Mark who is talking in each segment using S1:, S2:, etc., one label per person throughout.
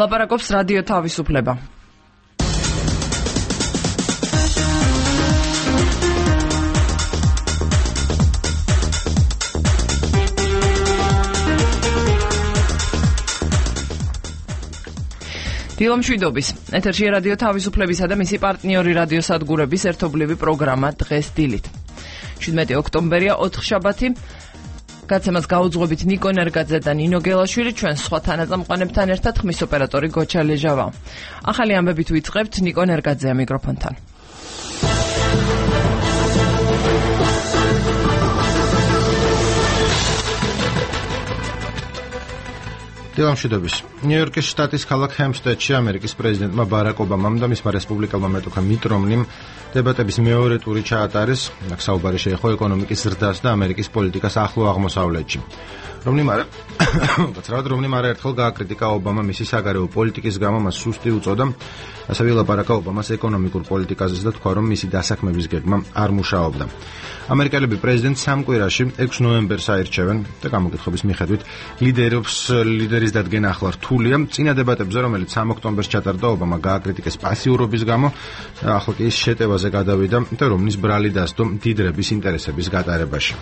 S1: ლაპარაკობს რადიო თავისუფლება. დილომშვიდობის. ეთერში რადიო თავისუფლებისა და მისი პარტნიორი რადიოსადგურების ერთობლივი პროგრამა დღეს დილით. 17 ოქტომბერია, ოთხშაბათი. გაცემას გაუძღვებით ნიკო ნერგაძე და ნინო გელაშვილი, ჩვენ სხვა თანაწამყვანებთან ერთად ხმის ოპერატორი გოჩა ლეჟავა. ახალი ამბებით ვიწყებთ, ნიკო ნერგაძეა მიკროფონთან.
S2: დილამშვიდობის. ნიუ-იორკის შტატის ქალაქ ჰემსტედში ამერიკის პრეზიდენტმა ბარაკ ობამამ და მისმა რესპუბლიკელმა მეტოქა მიტ რომნიმ დებატების მეორე ტური ჩაატარეს. აქ საუბარი შეეხო ეკონომიკის ზრდას და ამერიკის პოლიტიკას ახლო აღმოსავლეთში. რომნიმ არაერთხელ გააკრიტიკა ობამა მისი საგარეო პოლიტიკის გამო, მას სუსტი უწოდა, ასევე ლაპარაკა ობამას ეკონომიკურ პოლიტიკაზე და თქვა, რომ მისი დასაქმების გეგმა არ მუშაობდა. ამერიკელები პრეზიდენტს 3 კვირაში 6 ნოემბერს აირჩევენ და გამოკითხების მიხედვით ლიდერის დადგენა ახლა რთულია. წინა დებატებზე, რომელიც 3 ოქტომბერს ჩატარდა, ობამა გააკრიტიკეს პასიურობის გამო, ახლა კი ის შეტევაზე გადავიდა და რომნის ბრალი დასდო დიდრების ინტერესების გატარებაში.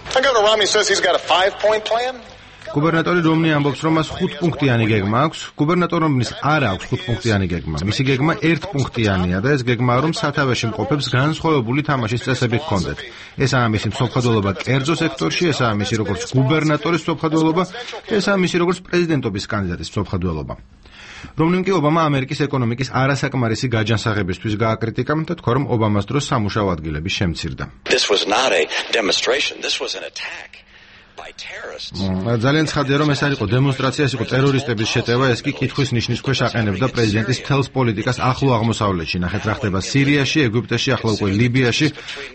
S2: გუბერნატორი რომნი ამბობს, რომ მას 5-პუნქტიანი გეგმა აქვს. გუბერნატორ რომნის არ აქვს 5-პუნქტიანი გეგმა. მისი გეგმა 1-პუნქტიანია და ეს გეგმა რომ სათავეში მყოფებს განსხვავებული თამაშის წესები ჰქონდეთ. ესაა მისი მსოფლმხედველობა კერძო სექტორში, ესაა მისი როგორც გუბერნატორის მსოფლმხედველობა, ესაა მისი როგორც პრეზიდენტობის კანდიდატის მსოფლმხედველობა. რომნიმ კი ობამა ამერიკის ეკონომიკის არასაკმარისი გაჯანსაღებისთვის გააკრიტიკა და თქვა, რომ ობამას დროს სამუშაო ადგილები შემცირდა. ძალიან ცხადია, რომ ეს არ იყო დემონსტრაცია, ეს იყო ტერორისტების შეტევა, ეს კი კითხვის ნიშნის ქვეშ აყენებდა პრეზიდენტის თელს პოლიტიკას ახლო აღმოსავლეთში. ნახეთ რა ხდება სირიაში, ეგვიპტეში, ახლა უკვე ლიბიაში.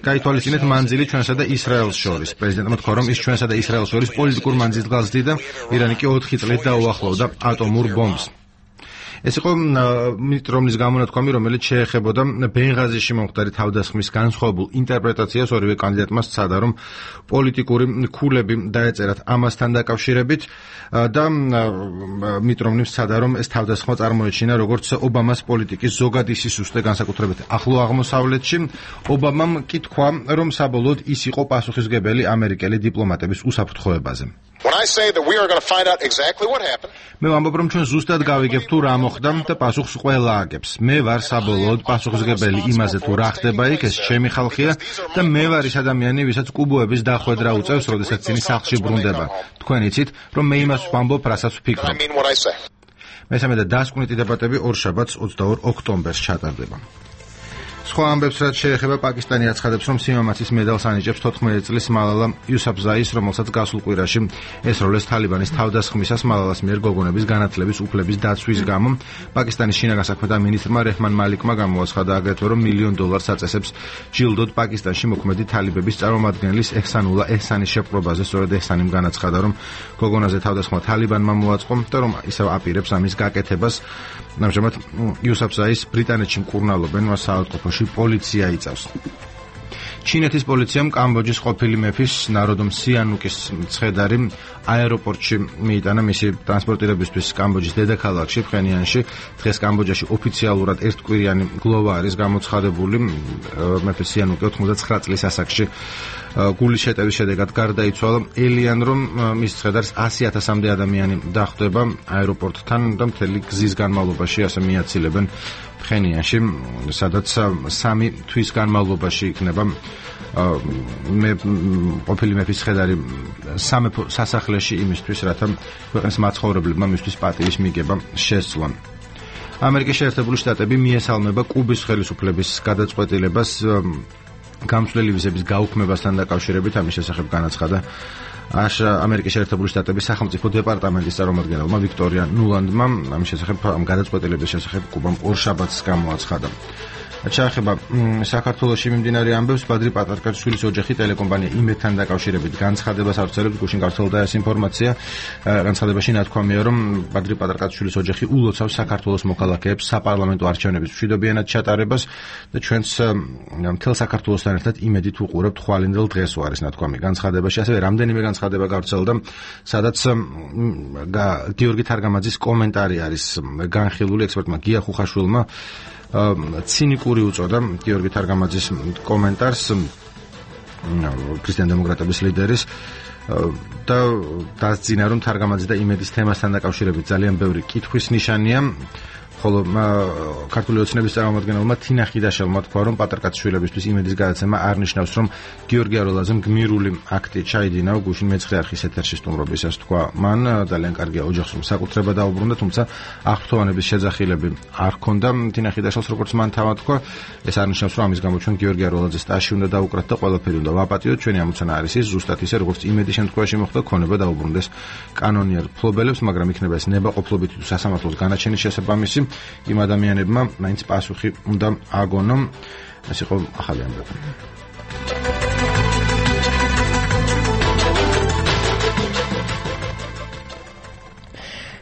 S2: გაითვალისწინეთ მანძილი ჩვენსა და ისრაელს შორის. პრეზიდენტმა თქვა, რომ ის ჩვენსა და ისრაელს შორის პოლიტიკურ მანძილს გაზრდიდა, ირანი კი 4 წლით დაუახლოვდა ატომურ ბომბს. ეს იყო მიტ რომნის გამონათქვამი, რომელიც შეეხებოდა ბენღაზიში მომხდარი თავდასხმის განსხვავებულ ინტერპრეტაციას. ორივე კანდიდატმა სცადა, რომ პოლიტიკური ქულები დაეწერათ ამასთან დაკავშირებით და მიტ რომნიმ სცადა, რომ ეს თავდასხმა წარმოეჩინა როგორც ობამას პოლიტიკის ზოგადი სისუსტე, განსაკუთრებით ახლო აღმოსავლეთში. ობამამ კი თქვა, რომ საბოლოოდ ის იყო პასუხისმგებელი ამერიკელი დიპლომატების უსაფრთხოებაზე. მე ვამბობ, რომ ჩვენ ზუსტად გავიგებთ თუ რა მოხდა და პასუხს ყველა აგებს. მე ვარ საბოლოოდ პასუხისმგებელი იმაზე თუ რა ხდება იქ, ეს ჩემი ხალხია და მე ვარ ის ადამიანი, ვისაც კუბოების დახვედრა უწევს, როდესაც წინ სახლში ბრუნდება. თქვენ იცით, რომ მე იმას ვამბობ, რასაც ვფიქრობ. მესამე და დასკვნითი დებატები ორშაბათს 22 ოქტომბერს ჩატარდება. სხვა ამბებს, რაც შეეხება პაკისტანი აცხადებს, რომ სიმამაცის მედალს ანიჭებს 14 წლის მალალა იუსაფზაის, რომელსაც გასულ კვირაში ესროლეს თალიბანის თავდასხმისას მალალას მიერ გოგონების განათლების უფლების დაცვის გამო. პაკისტანის შინაგან საქმეთა მინისტრმა რეჰმან მალიკმა გამოაცხადა აგრეთვე, რომ $1 მილიონ აწესებს ჯილდოდ პაკისტანში მოქმედი თალიბების წარმომადგენლის ეჰსანულა ეჰსანის შეპყრობაზე. სწორედ ეჰსანიმ განაცხადა, რომ გოგონაზე თავდასხმა თალიბანმა მოაწყო და რომ ისევ აპირებს ამის გაკეთებას. ამჟამად იუსაფზაის ბრიტანეთში მკურნალობენ, მას საავადმყოფოში პოლიცია იწავს. ჩინეთის პოლიციამ კამბოჯის ყოფილი მეფის ნაროდომ სიანუკის მცხედარი აეროპორტში მიიტანა მისი ტრანსპორტირებისთვის კამბოჯის დედაქალაქში ფხენიანში. დღეს კამბოჯაში ოფიციალურად ერთკვირიანი გლოვა არის გამოცხადებული. მეფე სიანუკი 99 წლის ასაკში გულის შეტევის შედეგად გარდაიცვალა. ელიან, რომ მის მცხედარს 100,000-მდე ადამიანი დახვდება აეროპორტთან და მთელი გზის განმავლობაში ასე მიაცილებენ ფხენიანში, სადაც 3 თვის განმავლობაში იქნება ყოფილი მეფის მცხედარი სამეფო სასახლეში იმისთვის, რათა ქვეყნის მაცხოვრებლებმა მისთვის პატივის მიგება შესძლონ. ამერიკის შეერთებული შტატები მიესალმება კუბის ხელისუფლების გადაწყვეტილებას გამსვლელი ვიზების გაუქმებასთან დაკავშირებით. ამის შესახებ განაცხადა ამერიკის შეერთებული შტატების სახელმწიფო დეპარტამენტის წარმომადგენელმა ვიქტორია ნულანდმა. ამის შესახებ ამ გადაწყვეტილების შესახებ კუბამ ორშაბათს გამოაცხადა. ჩაეხება საქართველოში მიმდინარე ამბებს. ბადრი პატარკაშვილის ოჯახი ტელეკომპანია იმედთან დაკავშირებით განცხადებას ავრცელებს. გუშინ გავრცელდა ეს ინფორმაცია. განცხადებაში ნათქვამია, რომ ბადრი პატარკაშვილის ოჯახი ულოცავს საქართველოს მოქალაქეებს საპარლამენტო არჩევნების მშვიდობიანად ჩატარებას და ჩვენც მთელ საქართველოსთან ერთად იმედით უყურებთ ხვალინდელ დღეს არის ნათქვამი განცხადებაში. ასევე რამდენიმე განცხადება გავრცელდა, სადაც გიორგი თარგამაძის კომენტარი არის განხილული ექსპერტმა გია ხუხაშვილმა ცინიკური უწოდა გიორგი თარგამაძის კომენტარს ქრისტიან დემოკრატების ლიდერის და დასძინა, რომ თარგამაძე და იმედის თემასთან დაკავშირებით ძალიან ბევრი კითხვის ნიშანია. ხოლო ქართული ოცნების წარმომადგენელმა თინა ხიდაშელმა თქვა, რომ პატარკაცშვილებისთვის იმედის გადაცემა არ ნიშნავს, რომ გიორგი აროლაძემ გმირული აქტი ჩაიდინა. გუშინ მეცხრე არხის ეთერში სტუმრობისას თქვა მან, ძალიან კარგია ოჯახს რომ საკუთრება დაუბრუნდა, თუმცა აღფრთოვანების შეძახილები არ ჰქონდა თინა ხიდაშელს, როგორც მან თავად თქვა. ეს არ ნიშნავს, რომ ამის გამო ჩვენ გიორგი აროლაძეს ტაში უნდა დაუკრათ და ყველაფერი უნდა ვაპატიოთ. ჩვენი ამოცანა არის ის, ზუსტად ისე, როგორც იმედის შემთხვევაში მოხდა, ქონება დაუბრუნდეს კანონიერ ფლობელებს, მაგრამ იქნება ეს ნებაყოფლობით თუ სასამართლოს განაჩენის შესაბამისი. იმ ადამიანებმა მაინც პასუხი უნდა აგონონ. ეს იყო ახალი ამბები.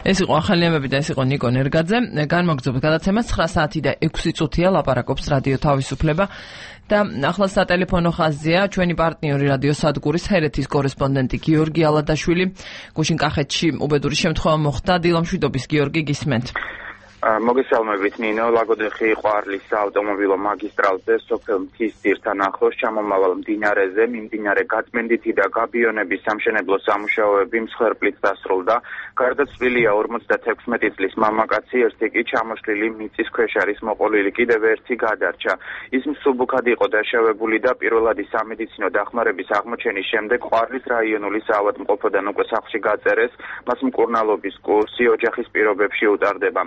S1: ეს იყო ახალი ამბები და ეს იყო ნიკო ნერგაძე. განმოგრძობთ გადაცემას 9 საათი და 6 წუთია ლაპარაკობს რადიო თავისუფლება და ახლა სატელეფონო ხაზია ჩვენი პარტნიორი რადიო სადგურის ჰერეთის კორესპონდენტი გიორგი ალადაშვილი. გუშინ კახეთში უბედური შემთხვევა მოხდა. დილამშვიდობის გიორგი, გისმენთ.
S3: მოგესალმებით ნინო. ლაგოდეხი ყვარლის საავტომობილო მაგისტრალზე სოფელ მთისძირთან ახლოს ჩამომავალ მდინარეზე მიმდინარე გაწმენდითი და გაბიონების სამშენებლო სამუშაოები მსხვერპლით დასრულდა. გარდაცვლილია 56 წლის მამაკაცი, ერთი კი ჩამოშლილი მიწის ქვეშ არის მოყოლილი, კიდევ ერთი გადარჩა. ის მსუბუქად იყო დაშავებული და პირველადი სამედიცინო დახმარების აღმოჩენის შემდეგ ყვარლის რაიონული საავადმყოფოდან უკვე სახლში გაწერეს. მას მკურნალობის კურსი ოჯახის პირობებში უტარდება.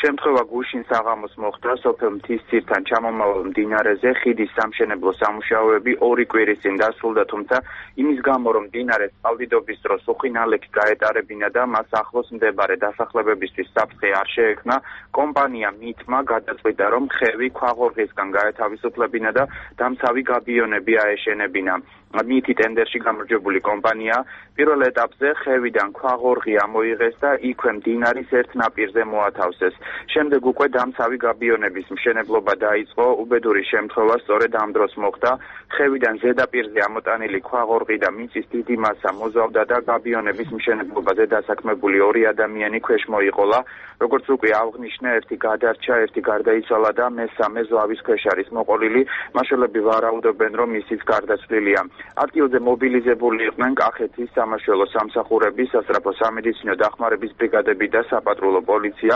S3: შემთხვევა გუშინ საღამოს მოხდა სოფელ მთისძირთან ჩამომავალ მდინარეზე. ხიდის სამშენებლო სამუშაოები 2 კვირის წინ დასრულდა, თუმცა იმის გამო, რომ მდინარეს წყალდიდობის დროს უხინალექი გაეტარებინა და მას ახლოს მდებარე დასახლებებისთვის საფრთხე არ შეექმნა, კომპანია მითმა გადაწყვიტა, რომ ხევი ქვაღორღისგან გაეთავისუფლებინა და დამცავი გაბიონები აეშენებინა. მითი ტენდერში გამარჯვებული კომპანია პირველ ეტაპზე ხევიდან ქვაღორღი ამოიღეს და იქვე მდინარის ერთ ნაპირზე მოათავსეს. შემდეგ უკვე დამცავი გაბიონების მშენებლობა დაიწყო. უბედური შემთხვევა სწორედ ამ დროს მოხდა. ხევიდან ზედაპირზე ამოტანილი ქვაღორღი და მიწის დიდი მასა მოზავდა და გაბიონების მშენებლობაზე დასაქმებული 2 ადამიანი ქვეშ მოიყოლა. როგორც უკვე აღნიშნა, ერთი გადარჩა, ერთი გარდაიცვალა და მესამე ზავის ქვეშ არის მოყოლილი. მაშველები ვარაუდობენ, რომ ისიც გარდაცვლილია. ადგილზე მობილიზებული იყვნენ კახეთის სამაშველო სამსახურები, სასწრაფო სამედიცინო დახმარების ბრიგადები და საპატრულო პოლიცია.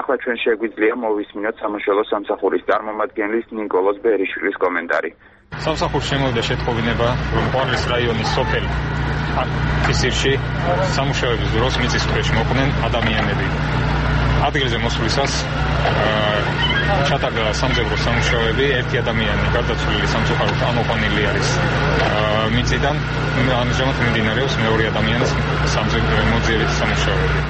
S3: ახლა ჩვენ შეგვიძლია მოვისმინოთ სამაშველო სამსახურის წარმომადგენლის ნიკოლოზ ბერიშვილის კომენტარი.
S4: სამსახურს შემოვიდა შეთხოვინება, რომ ყვარლის რაიონის სოფელ მთისძირში სამუშაოების დროს მიწის ქვეშ მოყვნენ ადამიანები. ადგილზე მოსვლისას ჩატარდა სამძებრო სამუშაოები. ერთი ადამიანი გარდაცვლილი სამწუხაროდ ამოყვანილი არის მიწიდან. ამჟამად მიმდინარეობს მეორე ადამიანის მოძიების სამუშაოები.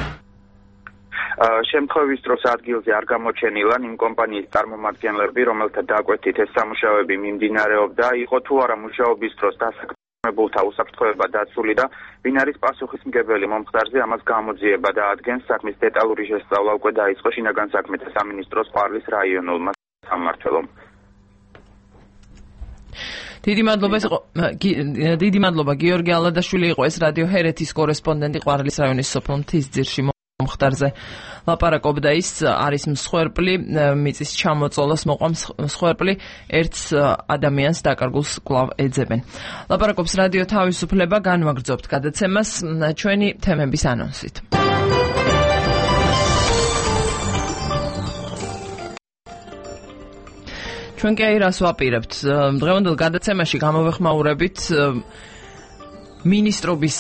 S3: შემთხვევის დროს ადგილზე არ გამოჩენილან იმ კომპანიის წარმომადგენლები, რომელთა დაკვეთით ეს სამუშაოები მიმდინარეობდა, იყო თუ არა მუშაობის დროს დასაქმებულთა უსაფრთხოება დაცული და ვინ არის პასუხისმგებელი მომხდარზე, ამას გამოძიება და ადგენს. საქმის დეტალური შესწავლა უკვე დაიწყო შინაგან საქმეთა სამინისტროს ყვარლის რაიონულმა სამმართველომ.
S1: დიდი მადლობა გიორგი ალადაშვილი იყო ეს რადიო ჰერეთის კორესპონდენტი ყვარლის რაიონის სოფელ მთისძირში მომხდარზე ლაპარაკობდა. ის არის მსხვერპლი, მიწის ჩამოწოლას მოყვამს მსხვერპლი, ერთს ადამიანს დაკარგულს კვლავ ეძებენ. ლაპარაკობს რადიო თავისუფლება, განვაგრძობთ გადაცემას ჩვენი თემების ანონსით. ჩვენ კი რას ვაპირებთ? დღევანდელ გადაცემაში გამოვეხმაურებით მინისტრობის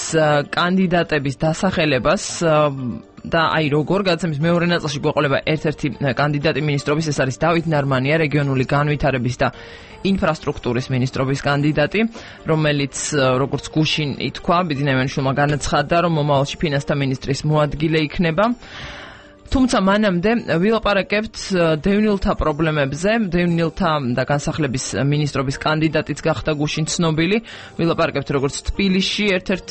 S1: კანდიდატების დასახელებას და აი როგორ გადაცემის მეორე ნაწილში გვეყოლება ერთ-ერთი კანდიდატი მინისტრობის, ეს არის დავით ნარმანია, რეგიონული განვითარების და ინფრასტრუქტურის მინისტრობის კანდიდატი, რომელიც როგორც გუშინ ითქვა, ბიძინა ივანიშვილმა განაცხადა, რომ მომავალში ფინანსთა მინისტრის მოადგილე იქნება. თუმცა მანამდე ვილაპარაკებთ დევნილთა პრობლემებზე. დევნილთა და განსახლების მინისტრობის კანდიდატიც გახდა გუშინ ცნობილი. ვილაპარაკებთ როგორც თბილისში ერთ-ერთ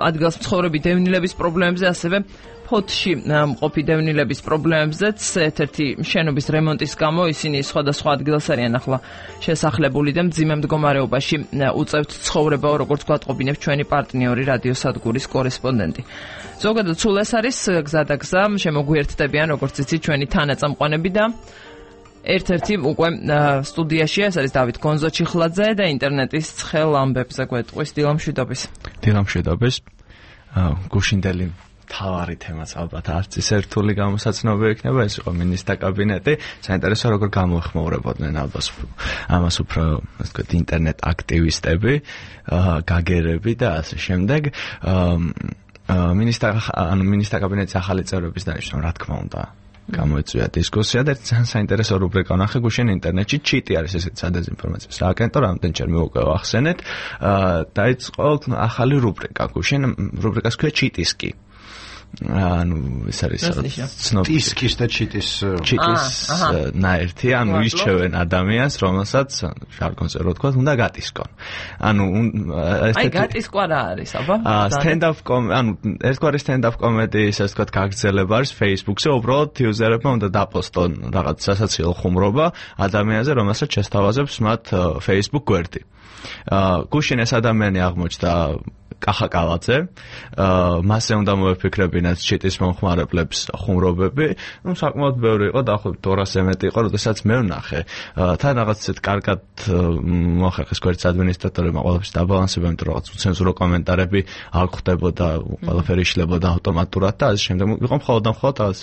S1: ადგილს მცხოვრები დევნილების პრობლემებზე, ასევე ფოთში მყოფი დევნილების პრობლემებზეც. ერთ-ერთი შენობის რემონტის გამო ისინი სხვადასხვა ადგილას არიან ახლა შესახლებული და მძიმე მდგომარეობაში უწევთ ცხოვრებაო, როგორც გვატყობინებს ჩვენი პარტნიორი რადიოსადგურის კორესპონდენტი. ზოგადად სულ ეს არის გზადაგზა, შემოგვიერთდებიან როგორც იცით ჩვენი თანაწამყვანები და ერთ-ერთი უკვე სტუდიაშია, ეს არის დავით გონზო-ჩიხლაძე და ინტერნეტის ცხელ ამბებზე გვეტყვის დილამშვიდობის.
S5: დილამშვიდობის. გუშინდელი თავარი თემაც ალბათ არც ის ერთული გამოსაცნობი იქნება, ეს იყო მინისტრთა კაბინეტი. საინტერესო როგორ გამოეხმაურებოდნენ ალბათ ამას უფრო ასე ვთქვათ ინტერნეტ აქტივისტები, გაგერები და ასე შემდეგ. მინისტრთა კაბინეტის ახალი წევრების დანიშნვა, რა თქმა უნდა. გამოიწვია დისკუსია და ძალიან საინტერესო რუბრიკა ნახე გუშინ ინტერნეტში ჩიტი არის ესეთი სადეზინფორმაციო სააგენტო რამდენჯერმე უკვე ვახსენეთ. დაიწყო ახალი რუბრიკა გუშინ რუბრიკას ქვია ჩიტისკი. ეს არის
S2: ტისკის და ჩიტის
S5: ნაერთი, ირჩევენ ადამიანს, რომელსაც ჟარგონზე რო თქვა, უნდა გატისკონ.
S1: გატისკვა რა არის, აბა?
S5: ერთგვარი stand-up comedy-ის, ასე ვთქვათ, გაგრძელება არის Facebook-ზე, უბრალოდ იუზერებმა უნდა დაპოსტონ რაღაც სასაცილო ხუმრობა ადამიანზე, რომელსაც შესთავაზებს მათ Facebook გვერდი. გუშინ ეს ადამიანი აღმოჩნდა კახაკალაძე, მასზე უნდა მოეფიქრებინათ ჩიტის მომხმარებლებს ხუმრობები. საკმაოდ ბევრი იყო, დაახლოებით 200-ზე მეტი იყო, როდესაც მე ვნახე. თან რაღაც ისეთ კარგად მოახერხეს გვერდის ადმინისტრატორებმა ყველაფერს დაბალანსება, იმიტომ რომ რაღაც უცენზურო კომენტარები არ ხვდებოდა, ყველაფერი იშლებოდა ავტომატურად და ასე შემდეგ. იყო მხოლოდ რაღაც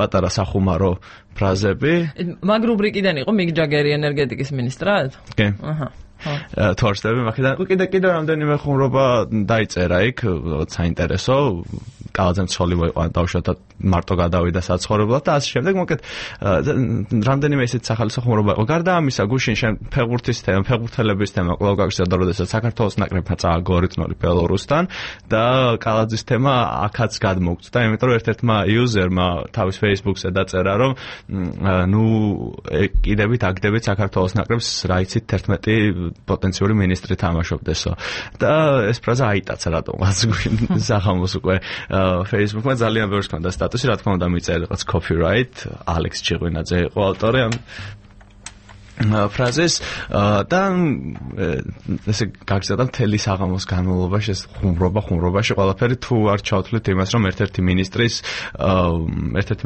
S5: პატარა სახუმარო ფრაზები.
S1: მაგ რუბრიკიდან იყო მიგ ჯაგერი ენერგეტიკის მინისტრად?
S5: კი. თორსტები მაგიდან კიდე რამდენიმე ხუმრობა დაიწერა იქ, საინტერესო. კალაძემ ცოლი მოიყვანა დავშოთ და მარტო გადავიდა საცხოვრებლად და ასე შემდეგ. მოკეთ რამდენიმე ისეთ სახალხო ხუმრობა იყო. გარდა ამისა, გუშინ ფეხბურთელების თემა კვლავ გაგზავნა, როდესაც საქართველოს ნაკრებმა წააგო 2-0 ბელორუსთან და კალაძის თემა აქაც გადმოგვწდა, იმიტომ რომ ერთ-ერთმა იუზერმა თავის Facebook-ზე დაწერა, რომ კიდევით აგდებით საქართველოს ნაკრებს, რა იცით 11 პოტენციური მინისტრი თამაშობდესო. და ეს ფრაზა აიტაცა რატომღაც სახამოს უკვე Facebook-მა ძალიან ბევრს ჰქონდა სტატუსი, რა თქმა უნდა მიწერა რაღაც copyright, ალექს ჩიღვინაძე იყო ავტორი ამ ფრაზეს და ესე გაგზავნა მთელი საღამოს განმავლობაში ეს ხუმრობაში ყველაფერი თუ არ ჩავთვლით იმას, რომ ერთ-ერთი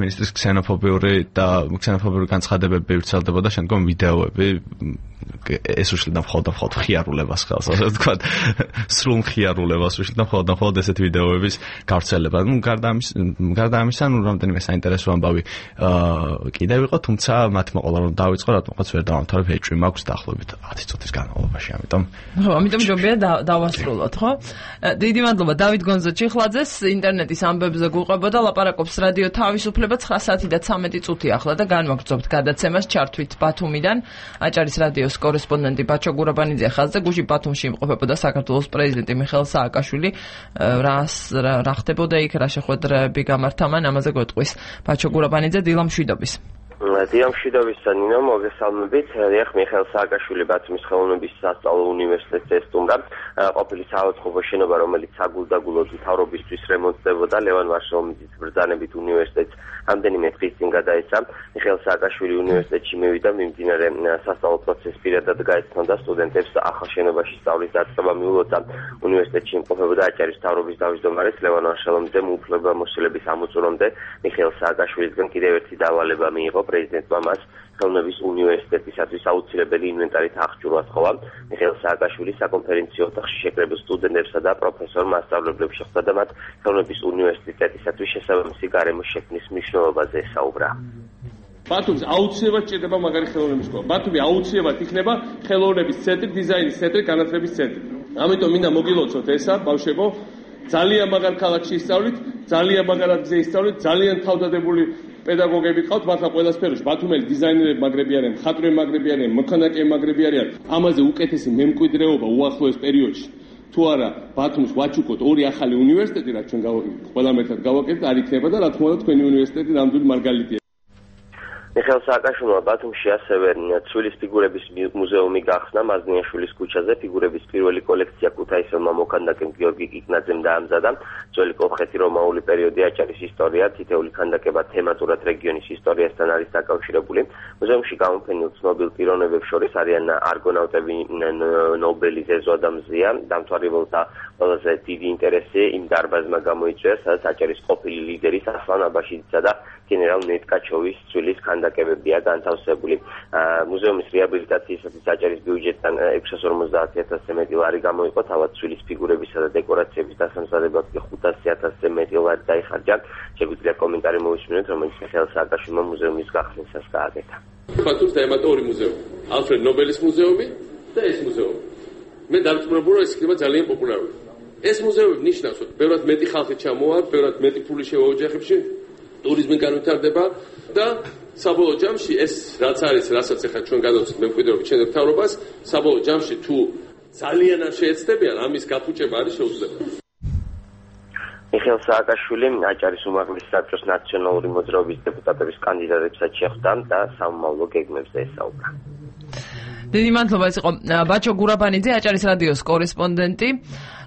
S5: მინისტრის ქსენოფობიური განცხადებები ვრცელდებოდა, შემდგომ ვიდეოები ეს უშლიდა მხოლოდ ხიარულებას ხელს, ასე ვთქვათ, სრულ ხიარულებას უშლიდა მხოლოდ ესეთ ვიდეოების გავრცელება. გარდა ამისა, რამდენიმე საინტერესო ამბავი კიდევ იყო, თუმცა მათ მოყოლა რომ დავიწყო, რატომღაც ვერ დავამთავრებ, ეჭვი მაქვს დაახლოებით 10 წუთის განმავლობაში, ამიტომ
S1: ჯობია დავასრულოთ, ხო? დიდი მადლობა დავით გონზო-ჩიხლაძეს, ინტერნეტის ამბებზე გუყვებოდა, ლაპარაკობს რადიო თავისუფლება 9 საათი და 13 წუთი ახლა და განვაგრძობთ გადაცემას, ჩართვით ბათუმიდან, აჭარის რადიოს კორესპონდენტი ბაჩო გურაბანიძე ხაზზე. გუშინ ბათუმში იმყოფებოდა საქართველოს პრეზიდენტი მიხეილ სააკაშვილი. რა ხდებოდა იქ, რა შეხვედრები გამართა მან, ამაზე გვეტყვის ბაჩო გურაბანიძე. დილამშვიდობის.
S6: დილამშვიდობის ნინო, მოგესალმებით. ეხ მიხეილ სააკაშვილი ბათუმის ხელოვნების სასწავლო უნივერსიტეტზე სტუმრა. ყოფილი საავადმყოფო შენობა, რომელიც საგულდაგულოდ მთავრობისთვის რემონტდებოდა, ლევან ვაშლომიძის ბრძანებით უნივერსიტეტს რამდენიმე დღის წინ გადაეცა. მიხეილ სააკაშვილი უნივერსიტეტში მივიდა, მიმდინარე სასწავლო პროცესს პირადად გაეცნოდა სტუდენტებს ახალ შენობაში სწავლის დაწყება მიულოცა. უნივერსიტეტში იმყოფებოდა აჭარის მთავრობის თავმჯდომარეს ლევან ვაშლომიძემ უფლებამოსილების ამოწურვამდე მიხეილ სააკაშვილისგან კიდევ ერთი დავალება მიიღო. პრეზიდენტმა მას ხელოვნების უნივერსიტეტისათვის აუცილებელი ინვენტარით აღჭურვა სთხოვა. მიხეილ სააკაშვილი საკონფერენციო ოთახში შეკრებილ სტუდენტებსა და პროფესორ მასწავლებლებს შეხვდა და მათ ხელოვნების უნივერსიტეტისათვის შესაბამისი გარემოს შექმნის მნიშვნელობაზე ესაუბრა.
S7: ბათუმს აუცილებლად ჭირდება მაგარი ხელოვნების სკოლა. ბათუმი აუცილებლად იქნება ხელოვნების ცენტრი, დიზაინის ცენტრი, განათლების ცენტრი. ამიტომ მინდა მოგილოცოთ ესა, ბავშვებო, ძალიან მაგარ ქალაქში ისწავლით, ძალიან მაგარ ადგილზე ისწავლით, ძალიან თავდადებული პედაგოგები ყავთ, მართლა ყველა სფეროში. ბათუმელი დიზაინერები მაგრები არიან, მხატვრები მაგრები არიან, მოქანდაკეები მაგრები არიან. ამაზე უკეთესი მემკვიდრეობა უახლოეს პერიოდში თუ არა ბათუმს ვაჩუქოთ ორი ახალი უნივერსიტეტი, რაც ჩვენ ყველამ ერთად გავაკეთეთ, არ იქნება და რა თქმა უნდა თქვენი უნივერსიტეტი ნამდვილი მარგალიტია.
S6: მიხეილ სააკაშვილმა ბათუმში ასევე ცვილის ფიგურების მუზეუმი გახსნა მაზნიაშვილის ქუჩაზე. ფიგურების პირველი კოლექცია ქუთაისელმა მოქანდაკემ გიორგი კიკნაძემ დაამზადა. ძველი კოლხეთი-რომაული პერიოდი, აჭარის ისტორია, თითეული ქანდაკება თემატურად რეგიონის ისტორიასთან არის დაკავშირებული. მუზეუმში გამოფენილ ცნობილ პიროვნებებს შორის არიან არგონავტები ნობელი ზეზო ადამიანია. დამთვალიერებელთა ყველაზე დიდი ინტერესი იმ დარბაზმა გამოიწვია, სადაც აჭარის ყოფილი ლიდერის ასლან აბაშიძისა და გენერალ ნეტკაჩოვის ცვილის ქანდაკებებია განთავსებული. მუზეუმის რეაბილიტაციისათვის აჭარის ბიუჯეტიდან 650,000-ზე მეტი ლარი გამოიყო, თავად ცვილის ფიგურებისა და დეკორაციების დასამზადებლად კი 500,000-ზე მეტი ლარი დაიხარჯა. შეგვიძლია კომენტარი მოვისმინოთ, რომელიც მიხეილ სააკაშვილმა მუზეუმის გახსნისას გააკეთა.
S7: ბათუმს დაემატა ორი მუზეუმი, ალფრედ ნობელის მუზეუმი და ეს მუზეუმი. მე დავწმუნებული რომ ეს იქნება ძალიან პოპულარული. ეს მუზეუმი ნიშნავს, რომ ბევრად მეტი ხალხი ჩამოვა, ბევრად მეტი ფული შევა ოჯახებში, ტურიზმი განვითარდება და საბოლოო ჯამში ეს რაც არის, რასაც ახლა ჩვენ გადავწყვეტ მემკვიდრეობის ჩვენს მთავრობას, საბოლოო ჯამში თუ ძალიან არ შეეცდებიან, ამის გაფუჭება არის შეუძლებელი.
S6: მიხეილ სააკაშვილი აჭარის უმაღლესი საბჭოს ნაციონალური მოძრაობის დეპუტატების კანდიდატებსაც შეხვდა და სამომავლო გეგმებზე ესაუბრა.
S1: დიდი მადლობა, ეს იყო ბაჩო გურაბანიძე, აჭარის რადიოს კორესპონდენტი.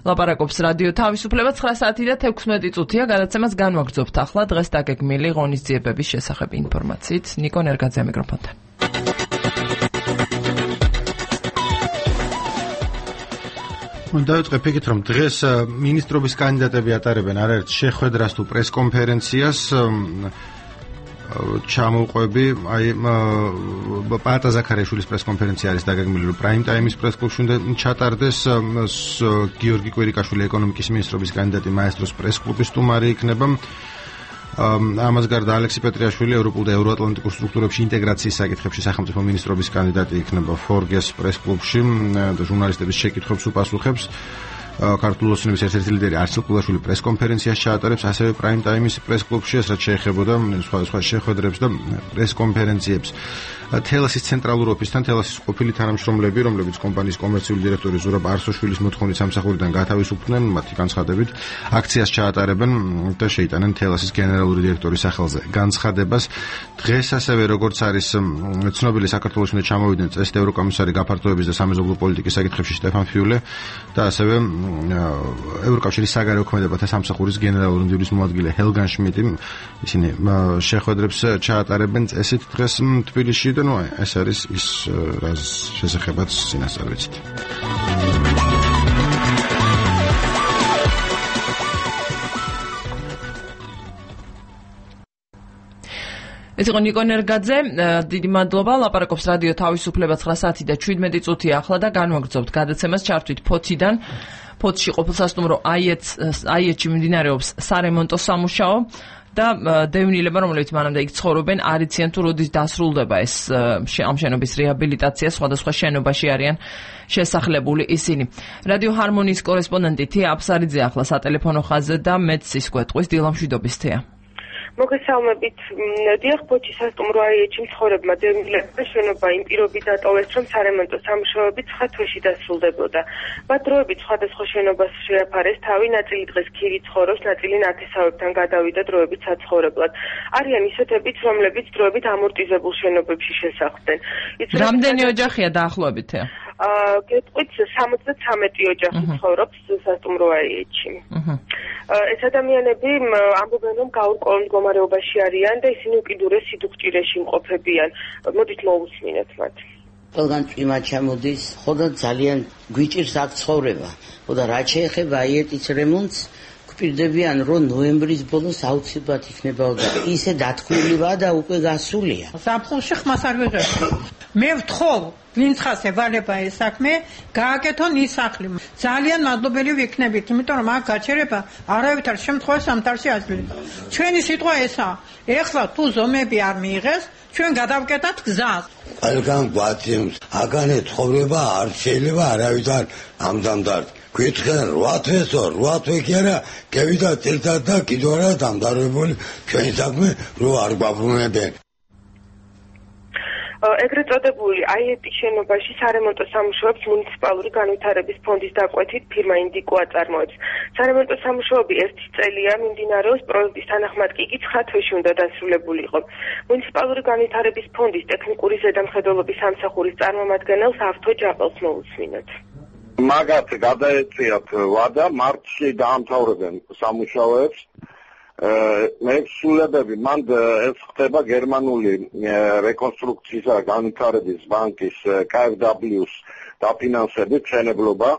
S1: ლაპარაკობს რადიო თავისუფლება 9 საათი და 16 წუთია. გადაცემას განვაგრძობთ ახლა დღეს დაგეგმილი ღონისძიებების შესახებ ინფორმაციით. ნიკო ნერგაძე მიკროფონთან.
S2: დავიწყებ იქით, რომ დღეს მინისტრობის კანდიდატები ატარებენ არაერთ შეხვედრას თუ პრესკონფერენციას. ჩამოვყვები, პატა ზაქარიაშვილის პრესკონფერენცია არის დაგეგმილი, რომ პრაიმ ტაიმის პრესკლუბში უნდა ჩატარდეს. გიორგი კვირიკაშვილი ეკონომიკის მინისტრობის კანდიდატი მაესტროს პრესკლუბის სტუმარი იქნება. ამას გარდა ალექსი პეტრიაშვილი ევროპულ და ევროატლანტიკურ სტრუქტურებში ინტეგრაციის საკითხებში სახელმწიფო მინისტრობის კანდიდატი იქნება ფორგეს პრესკლუბში და ჟურნალისტების შეკითხვებს უპასუხებს. ქართული ოცნების ერთ-ერთი ლიდერი არცელ ყულაშვილი პრესკონფერენციას ჩაატარებს, ასევე პრაიმ ტაიმის პრესკლუბში, რაც შეეხებოდა სხვადასხვა შეხვედრებს და პრესკონფერენციებს. თელასის ცენტრალურ ოფისთან თელასის ყოფილი თანამშრომლები, რომლებიც კომპანიის კომერციული დირექტორი ზურაბ არსოშვილის მოთხოვნით სამსახურიდან გათავისუფლდნენ, მათი განცხადებით აქციას ჩაატარებენ და შეიტანენ თელასის გენერალური დირექტორის სახელზე განცხადებას. დღეს ასევე, როგორც არის ცნობილი, საქართველოს უნდა ჩამოვიდნენ წესით ევროკომისარი გაფართოების და სამეზობლო პოლიტიკის საკითხებში სტეფან ფიულე და ასევე ევროკავშირის საგარეო ქმედებათა სამსახურის გენერალური მდივნის მოადგილე ჰელგან შმიტი. ისინი შეხვედრებს ჩაატარებენ წესით დღეს თბილისში და ეს არის ის, რაც შესახებაც წინასწარ ვიცით.
S1: ეს იყო ნიკო ნერგაძე, დიდი მადლობა. ლაპარაკობს რადიო თავისუფლება 9 საათი და 17 წუთია ახლა და განვაგრძობთ გადაცემას. ჩართვით ფოთიდან. ფოთში ყოფილ სასტუმრო აიეთში მიმდინარეობს სარემონტო სამუშაო და დევნილება, რომლებიც მანამდე იქ ცხოვრობენ, არ იციან თუ როდის დასრულდება ეს ამ შენობის რეაბილიტაცია. სხვადასხვა შენობაში არიან შესახლებული ისინი. რადიო ჰარმონიის კორესპონდენტი თეა აფსარიძე ახლა სატელეფონო ხაზზე და მეც სისკვეთყვის დილამშვიდობის თეა.
S8: მოგესალმებით. დიახ, ფოთის სასტუმრო აიეთში მცხოვრებმა დევნილებმა შენობა იმ პირობით დატოვეს, რომ სარემონტო სამუშაოები 9 თვეში დასრულდებოდა. მათ დროებით სხვადასხვა შენობას შეაფარეს თავი, ნაწილი დღეს ქირი ცხოვრობს, ნაწილი ნათესავებთან გადავიდა დროებით საცხოვრებლად. არიან ისეთებიც, რომლებიც დროებით ამორტიზებულ შენობებში შესახლდნენ.
S1: რამდენი ოჯახია დაახლოებით?
S8: გეტყვით 73 ოჯახი ცხოვრობს სასტუმრო აიეთში. ეს ადამიანები ამბობენ, რომ გაურკვეველ მდგომარეობაში არიან და ისინი უკიდურეს სიდუხჭირეში იმყოფებიან. მოდით მოვუსმინოთ მათ.
S9: ყველგან წვიმა ჩამოდის, ხო და ძალიან გვიჭირს აქ ცხოვრება. ხო და რაც შეეხება აიეთის რემონტს, გვპირდებიან, რომ ნოემბრის ბოლოს აუცილებლად იქნება და ისე დათქმულივაა და უკვე გასულია.
S10: ზაფხულში ხმას არ ვიღებ. მე ვთხოვ, ვინც ხას ევალება ეს საქმე, გააკეთონ ის სახლი. ძალიან მადლობელი ვიქნებით, იმიტომ რომ აქ გაჩერება არავითარ შემთხვევაში სამთავრში აძლევს. ჩვენი სიტყვა ესაა. ეხლა თუ ზომები არ მიიღეს, ჩვენ გადავკეტათ გზას.
S11: ყველგან გვაცემს, აგანე ცხოვრება არ შეიძლება არავითარ ამდამდარ. გითხენ 8 თვესო, 8 თვე კი არა, გევიდა წელიწად და კიდევ არა დამთავრებული ჩვენი საქმე, რო არ გვაბრუნებენ.
S8: ეგრეთ წოდებული აიეტის შენობაში სარემონტო სამუშაოებს მუნიციპალური განვითარების ფონდის დაკვეთით ფირმა ინდიკო აწარმოებს. სარემონტო სამუშაოები 1 წელია მიმდინარეობს, პროექტის თანახმად კი 9 თვეში უნდა დასრულებულიყო. მუნიციპალური განვითარების ფონდის ტექნიკური ზედამხედველობის სამსახურის წარმომადგენელს ავთო ჯაყელს მოусმინოთ.
S12: მაგათ გადაეწიათ ვადა, მარტში დაამთავრებენ სამუშაოებს. მეცვლებები მან ეს ხდება გერმანული რეკონსტრუქციის და განვითარების ბანკის KfW-ს დაფინანსებით მშენებლობა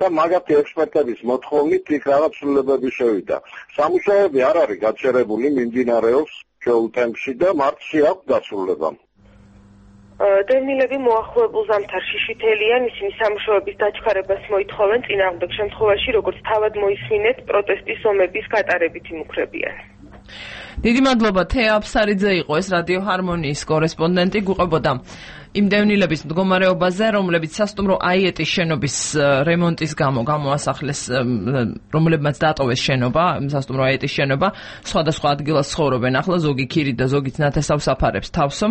S12: და მაგათი ექსპერტების მოთხოვნით იქ რაღაც ცვლილებები შევიდა. სამუშაოები არ არის გაჩერებული, მიმდინარეობს ჩვეულ ტემპში და მარტში აქვს დასრულება.
S8: დევნილები მოახლოებულ ზამთარში შითელიან, ისინი სამუშაოების დაჩქარებას მოითხოვენ, წინააღმდეგ შემთხვევაში, როგორც თავად მოისმინეთ, პროტესტის ომების გატარებით იმუქრებიან.
S1: დიდი მადლობა, თეა აფსარიძე იყო ეს რადიო ჰარმონიის კორესპონდენტი, გვიყვებოდა იმ დევნილების მდგომარეობაზე, რომლებიც სასტუმრო აიეტის შენობის რემონტის გამო გამოასახლეს, რომლებმაც დატოვეს შენობა, სასტუმრო აიეტის შენობა, სხვადასხვა ადგილას ცხოვრობენ ახლა, ზოგი ქირით და ზოგიც ნათესავს აფარებს თავსო.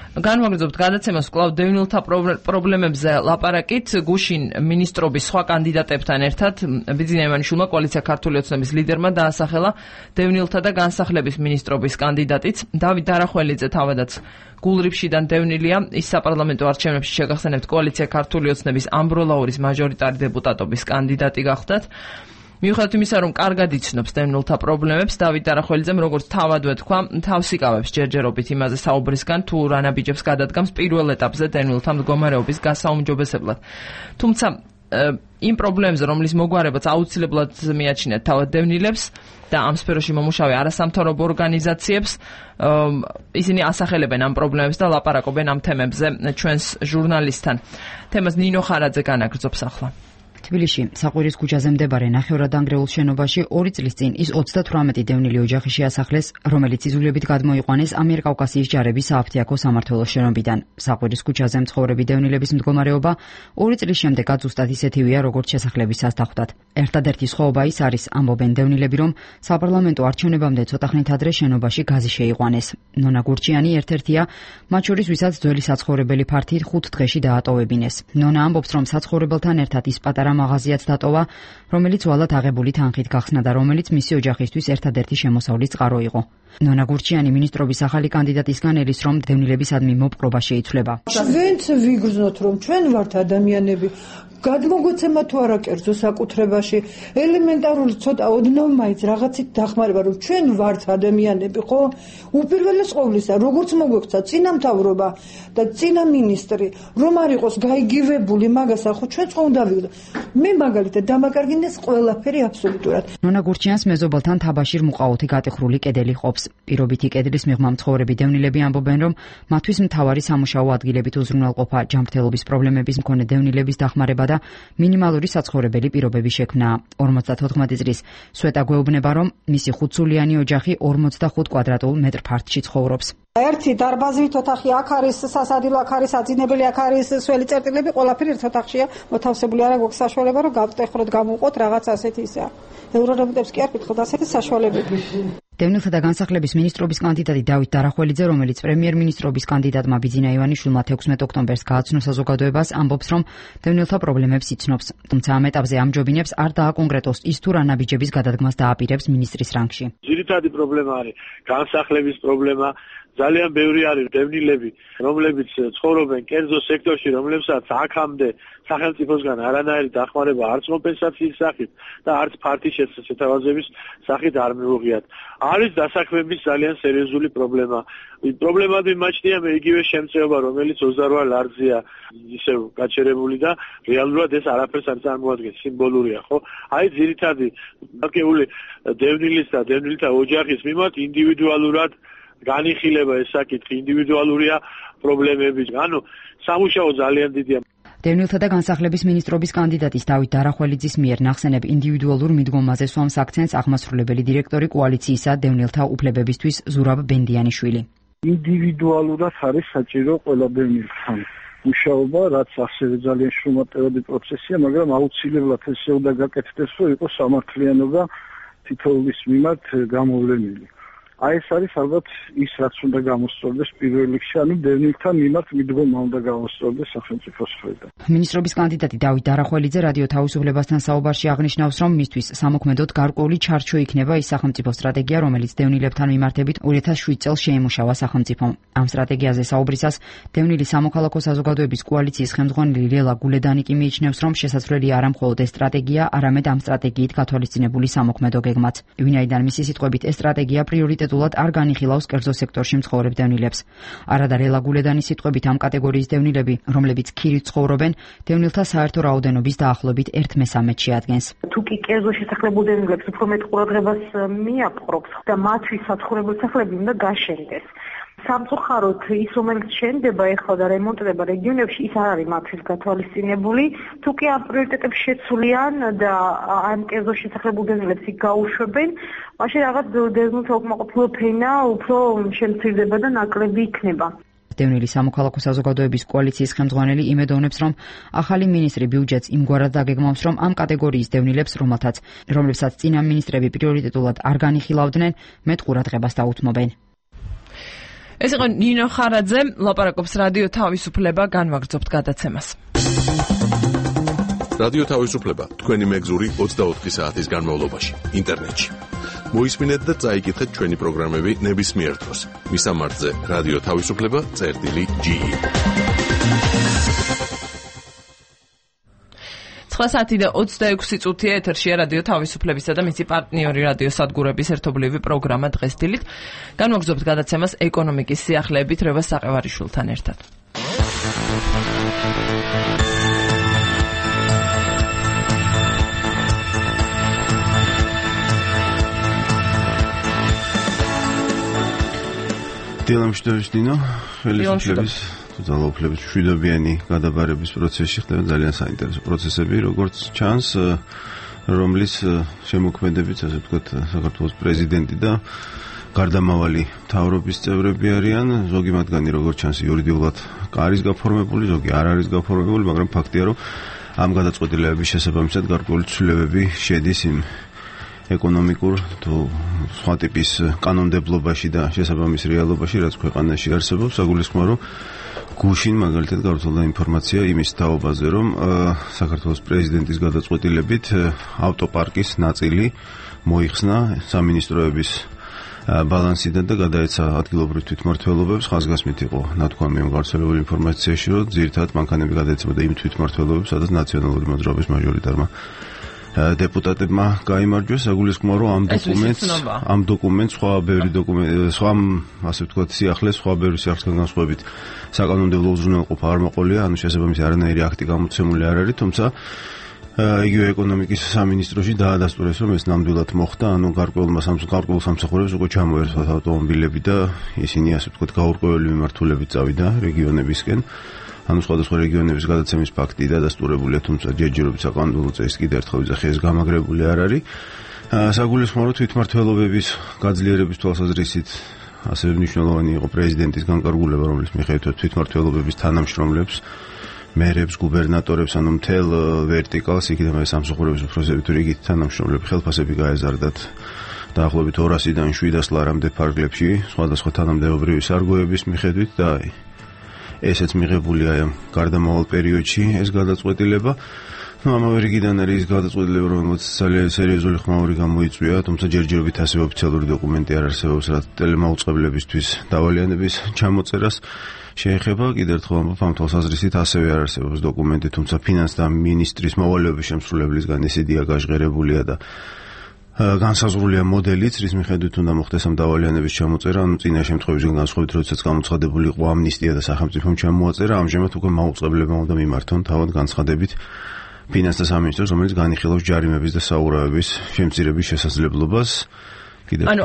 S1: განვაგრძობთ გადაცემას კვლავ დევნილთა პრობლემებზე ლაპარაკით გუშინ მინისტრობის სხვა კანდიდატებთან ერთად ბიძინა ივანიშვილმა კოალიცია ქართული ოცნების ლიდერმა დაასახელა დევნილთა და განსახლების მინისტრობის კანდიდატიც. დავით დარახველიძე თავადაც გულრიფშიდან დევნილია, ის საპარლამენტო არჩევნებში შეგახსენებთ კოალიცია ქართული ოცნების ამბროლაურის მაჟორიტარი დეპუტატობის კანდიდატი გახდათ. მიუხედავად იმისა, რომ კარგად იცნობს დევნილთა პრობლემებს, დავით დარახველიძემ, როგორც თავადვე თქვა, თავს იკავებს ჯერჯერობით იმაზე საუბრისგან, თუ რა ნაბიჯებს გადადგამს პირველ ეტაპზე დევნილთა მდგომარეობის გასაუმჯობესებლად. თუმცა იმ პრობლემებზე, რომლის მოგვარებაც აუცილებლად მიაჩნიათ თავად დევნილებს და ამ სფეროში მომუშავე არასამთავრობო ორგანიზაციებს, ისინი ასახელებენ ამ პრობლემებს და ლაპარაკობენ ამ თემებზე ჩვენს ჟურნალისტთან. თემას ნინო ხარაძე განაგრძობს ახლა.
S13: თბილისში საყვირის ქუჩაზე მდებარე ნახევრადანგრეულ შენობაში 2 წლის წინ ის 38 დევნილი ოჯახი შეასახლეს, რომელიც იზოლებით გადმოიყვანეს ამიერკავკასიის ჯარების სააფთიაქო სამმართველოს შენობიდან. საყვირის ქუჩაზე მცხოვრები დევნილების მდგომარეობა 2 წლის შემდეგაც ზუსტად ისეთივეა, როგორც შესახლების სასტახვდად. ერთადერთი სხვაობა ის არის, ამბობენ დევნილები, რომ საპარლამენტო არჩევნებამდე ცოტა ხნით ადრე შენობაში გაზი შეიყვანეს. ნონა გურჩიანი ერთ-ერთია, მათ შორის ვისაც ძველი საცხოვრებელი ფართი 5 დღეში დაატოვებინეს. ნონა ამბობს, რომ საცხოვრებელთან ერთად ის პატარა მაღაზიაც დატოვა, რომელიც ვალად აღებული თანხით გახსნა და რომელიც მისი ოჯახისთვის ერთადერთი შემოსავლის წყარო იყო. ნონა გურჩიანი მინისტრობის ახალი კანდიდატისგან ელის, რომ დევნილებისადმი მოპყრობა შეიცვლება.
S10: ჩვენც ვიგრძნოთ, რომ ჩვენ ვართ ადამიანები, გადმოგვეცემა თუ არა კერძო საკუთრებაში, ელემენტარული ცოტა ოდნავ მაინც რაღაცით დახმარება, რომ ჩვენ ვართ ადამიანები, ხო? უპირველეს ყოვლისა, როგორც მოგვექცა წინამთავრობა და წინა მინისტრი, რომ არ იყოს გაიგივებული მაგასა, ხო ჩვენ ხო უნდა ვიგდო. მე მაგალითად დამაკარგინეს ყველაფერი აბსოლუტურად.
S13: ნონა გურჩიანს მეზობელთან თაბაშირ მუყაოთი გატეხრული კედელი ყოფს. პირობითი კედლის მიღმა მცხოვრები დევნილები ამბობენ, რომ მათთვის მთავარი სამუშაო ადგილებით უზრუნველყოფა, ჯანმრთელობის პრობლემების მქონე დევნილების დახმარება და მინიმალური საცხოვრებელი პირობების შექმნა. 54 წლის სვეტა გვეუბნება, რომ მისი 5 სულიანი ოჯახი 45 კვადრატულ მეტრ ფართში ცხოვრობს.
S10: ერთი დარბაზით ოთახი აქ არის, სასადილო აქ არის, აძინებელი აქ არის, სველი წერტილები ყველაფერი ერთ ოთახშია მოთავსებული. არა გვაქვს საშუალება, რომ გავტეხროთ, გამოვყოთ რაღაც ასეთი ისა. ევრორემონტებს კი არ გითხოთ, ასეთი საშუალებები.
S13: დევნილთა და განსახლების მინისტრობის კანდიდატი დავით დარახველიძე, რომელიც პრემიერ-მინისტრობის კანდიდატმა ბიძინა ივანიშვილმა 16 ოქტომბერს გააცნო საზოგადოებას, ამბობს, რომ დევნილთა პრობლემებს იცნობს. თუმცა ამ ეტაპზე ამჯობინებს არ დააკონკრეტოს ის თუ რა ნაბიჯების გადადგმას დააპირებს მინისტრის რანგში.
S14: ძირითადი პრობლემა არის განსახლების პრობლემა. ძალიან ბევრი არის დევნილები, რომლებიც ცხოვრობენ კერძო სექტორში, რომლებსაც აქამდე სახელმწიფოსგან არანაირი დახმარება არც კომპენსაციის სახით და არც ფართის შეთავაზების სახით არ მიუღიათ. არის დასაქმების ძალიან სერიოზული პრობლემა. პრობლემად მიმაჩნია მე იგივე შემწეობა, რომელიც 28 ლარზია ისევ გაჩერებული და რეალურად ეს არაფერს არ წარმოადგენს, სიმბოლურია, ხო? აი ძირითადი დაკეული დევნილის და დევნილთა ოჯახის მიმართ ინდივიდუალურად განიხილება ეს საკითხი, ინდივიდუალურია პრობლემები. ანუ სამუშაო ძალიან დიდია.
S13: დევნილთა და განსახლების მინისტრობის კანდიდატის დავით დარახველიძის მიერ ნახსენებ ინდივიდუალურ მიდგომაზე სვამს აქცენტს აღმასრულებელი დირექტორი კოალიციისა დევნილთა უფლებებისთვის ზურაბ ბენდიანიშვილი.
S15: ინდივიდუალურად არის საჭირო ყველა დევნილთან მუშაობა, რაც ასევე ძალიან შრომატევადი პროცესია, მაგრამ აუცილებლად ესე უნდა გაკეთდეს, რომ იყოს სამართლიანობა თითოეულის მიმართ გამოვლენილი. აი ეს არის ალბათ ის რაც უნდა გამოსწორდეს პირველ რიგში, ანუ დევნილთა მიმართ მიდგომა უნდა გამოსწორდეს სახელმწიფოს მხრიდან.
S13: მინისტრობის კანდიდატი დავით დარახველიძე რადიო თავისუფლებასთან საუბარში აღნიშნავს, რომ მისთვის სამოქმედოდ გარკვეული ჩარჩო იქნება ის სახელმწიფო სტრატეგია, რომელიც დევნილებთან მიმართებით 2007 წელს შეიმუშავა სახელმწიფომ. ამ სტრატეგიაზე საუბრისას დევნილი სამოქალაქო საზოგადოების კოალიციის ხელმძღვანელი ლელა გულედანი კი მიიჩნევს, რომ შესაძლებელი არა მხოლოდ ეს სტრატეგია, არამედ ამ სტრატეგიით გათვალისწინებული სამოქმედო გეგმაც. ვინაიდან მისი სიტყვებით ეს სტრატეგია პრიორიტეტულად არ განიხილავს კერძო სექტორში მცხოვრებ დევნილებს. არადა ლელა გულედანის სიტყვებით ამ კატეგორიის დევნილები, რომლებიც ქირით ცხოვრობენ, დევნილთა საერთო რაოდენობის დაახლოებით 1/13 შეადგენს.
S16: თუ კი კერძო შესახლებულ დევნილებს უფრო მეტ ყურადღებას მიაპყრობს და მათთვის საცხოვრებელ სახლები უნდა გაშენდეს. სამწუხაროდ ის რომელიც შენდება ეხლა და რემონტდება რეგიონებში ის არ არის მათთვის გათვალისწინებული თუ კი ამ პრიორიტეტებს შეცვლიან და ამ კერძო შესახლებულ დევნილებს გაუშვებენ მაშინ რაღაც დევნილთა უკმაყოფილო ფენა უფრო შემცირდება და ნაკლები იქნება.
S13: დევნილი სამოქალაქო საზოგადოების კოალიციის ხელმძღვანელი იმედოვნებს, რომ ახალი მინისტრი ბიუჯეტს იმგვარად დაგეგმავს, რომ ამ კატეგორიის დევნილებს, რომლებსაც წინა მინისტრები პრიორიტეტულად არ განიხილავდნენ, მეტ ყურადღებას დაუთმობენ.
S1: ეს იყო ნინო ხარაძე, ლაპარაკობს რადიო თავისუფლება, განვაგრძობთ გადაცემას.
S17: რადიო თავისუფლება თქვენი მეგზური 24 საათის განმავლობაში ინტერნეტში. მოისმინეთ და წაიკითხეთ ჩვენი პროგრამები ნებისმიერ დროს. მისამართზე რადიო თავისუფლება.ge
S1: 9:26 ეთერშია რადიო თავისუფლებისა და მისი პარტნიორი რადიო სადგურების ერთობლივი პროგრამა დღეს დილით. განვაგრძობთ გადაცემას ეკონომიკის სიახლეებით რევას საყევარიშვილთან ერთად.
S2: დილამშვიდობის დინო, ხელისუფლების ძალაუფლების მშვიდობიანი გადაბარების პროცესში ხდება ძალიან საინტერესო პროცესები, როგორც ჩანს, რომლის შემოქმედებით, ასე ვთქვათ, საქართველოს პრეზიდენტი და გარდამავალი მთავრობის წევრები არიან, ზოგი მათგანი როგორც ჩანს იურიდიულად არის გაფორმებული, ზოგი არ არის გაფორმებული, მაგრამ ფაქტია, რომ ამ გადაწყვეტილებების შესაბამისად გარკვეული ცვლილებები შედის იმ ეკონომიკურ თუ სხვა ტიპის კანონმდებლობაში და შესაბამის რეალობაში, რაც ქვეყანაში არსებობს, საგულისხმოა, რომ გუშინ მაგალითად გავრცელდა ინფორმაცია იმის თაობაზე, რომ საქართველოს პრეზიდენტის გადაწყვეტილებით ავტოპარკის ნაწილი მოიხსნა სამინისტროების ბალანსიდან და გადაეცა ადგილობრივ თვითმმართველობებს. ხაზგასმით იყო ნათქვამი ამ გავრცელებული ინფორმაციაში, რომ ძირითადად მანქანები გადაეცემოდა იმ თვითმმართველობებს, სადაც ნაციონალური მოძრაობის მაჟორიტარმა დეპუტატებმა გაიმარჯვეს. საგულისხმოა, რომ ამ დოკუმენტს სხვა ბევრი დოკუმენტი, სხვა ასე ვთქვათ, სიახლეს, სხვა ბევრი სიახლესთან განსხვავებით საკანონმდებლო უზრუნველყოფა არ მოყოლია, ანუ შესაბამისი არანაირი აქტი გამოცემული არ არის, თუმცა იგივე ეკონომიკის სამინისტროში დაადასტურეს, რომ ეს ნამდვილად მოხდა, ანუ გარკვეულ სამსახურებს უკვე ჩამოერთვათ ავტომობილები და ისინი ასე ვთქვათ გაურკვეველი მიმართულებით წავიდა რეგიონებისკენ. ანუ სხვადასხვა რეგიონების გადაცემის ფაქტი დადასტურებულია, თუმცა ჯერჯერობით საკანონმდებლო წესით კიდევ ერთხელ ვიძახი, ეს გამაგრებული არ არის. საგულისხმოა, რომ თვითმმართველობების გაძლიერების თვალსაზრისით ასევე მნიშვნელოვანი იყო პრეზიდენტის განკარგულება, რომლის მიხედვით თვითმმართველობების თანამშრომლებს, მერებს, გუბერნატორებს, ანუ მთელ ვერტიკალს, იქიდან სამსახურების უფროსები თუ რიგით თანამშრომლები ხელფასები გაეზარდათ დაახლოებით 200-დან 700 ლარამდე ფარგლებში, სხვადასხვა თანამდებობრივი სარგოების მიხედვით და ესეც მიღებულია გარდამავალ პერიოდში ეს გადაწყვეტილება. ამავე რიგიდან არის ის გადაწყვეტილება, რომელიც ძალიან სერიოზული ხმაური გამოიწვია, თუმცა ჯერჯერობით ასე ოფიციალური დოკუმენტი არ არსებობს, რაც ტელემაუწყებლებისთვის დავალიანების ჩამოწერას შეეხება. კიდევ ერთხელ ამბობ, ამ თვალსაზრისით ასევე არ არსებობს დოკუმენტი, თუმცა ფინანსთა მინისტრის მოვალეობის შემსრულებლისგან ეს იდეა გაჟღერებულია და განსაზღვრულია მოდელიც, რის მიხედვით უნდა მოხდეს ამ დავალიანების ჩამოწერა, ანუ წინა შემთხვევისგან განსხვავებით, როდესაც გამოცხადებული იყო ამნისტია და სახელმწიფომ ჩამოაწერა, ამჟამად უკვე მაუწყებლებმა უნდა მიმართონ თავად განცხადებით ფინანსთა სამინისტროს, რომელიც განიხილავს ჯარიმების და საურავების შემცირების შესაძლებლობას.
S1: ანუ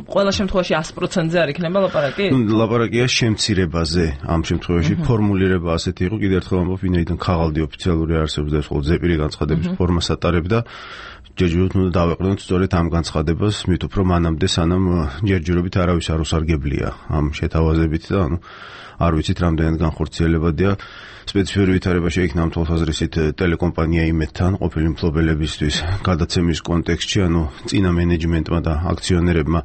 S1: ყველა შემთხვევაში 100%-ზე არ იქნება ლაპარაკი?
S2: ლაპარაკია შემცირებაზე. ამ შემთხვევაში ფორმულირება ასეთი იყო, კიდევ ერთხელ ამბობ, ვინაიდან ქაღალდი ოფიციალური არსებობს და ეს მხოლოდ ზეპირი განცხადების ფორმას ატარებდა. ჯერჯერობით უნდა დავეყრდნოთ სწორედ ამ განცხადებას, მით უფრო მანამდე სანამ ჯერჯერობით არავის არ უსარგებლია ამ შეთავაზებით და არ ვიცით რამდენად განხორციელებადია სპეციფიური ვითარებაში იქნა ამ თვალსაზრისით ტელეკომპანია იმედთან ყოფილი მფლობელებისთვის გადაცემის კონტექსტში, წინა მენეჯმენტმა და აქციონერებმა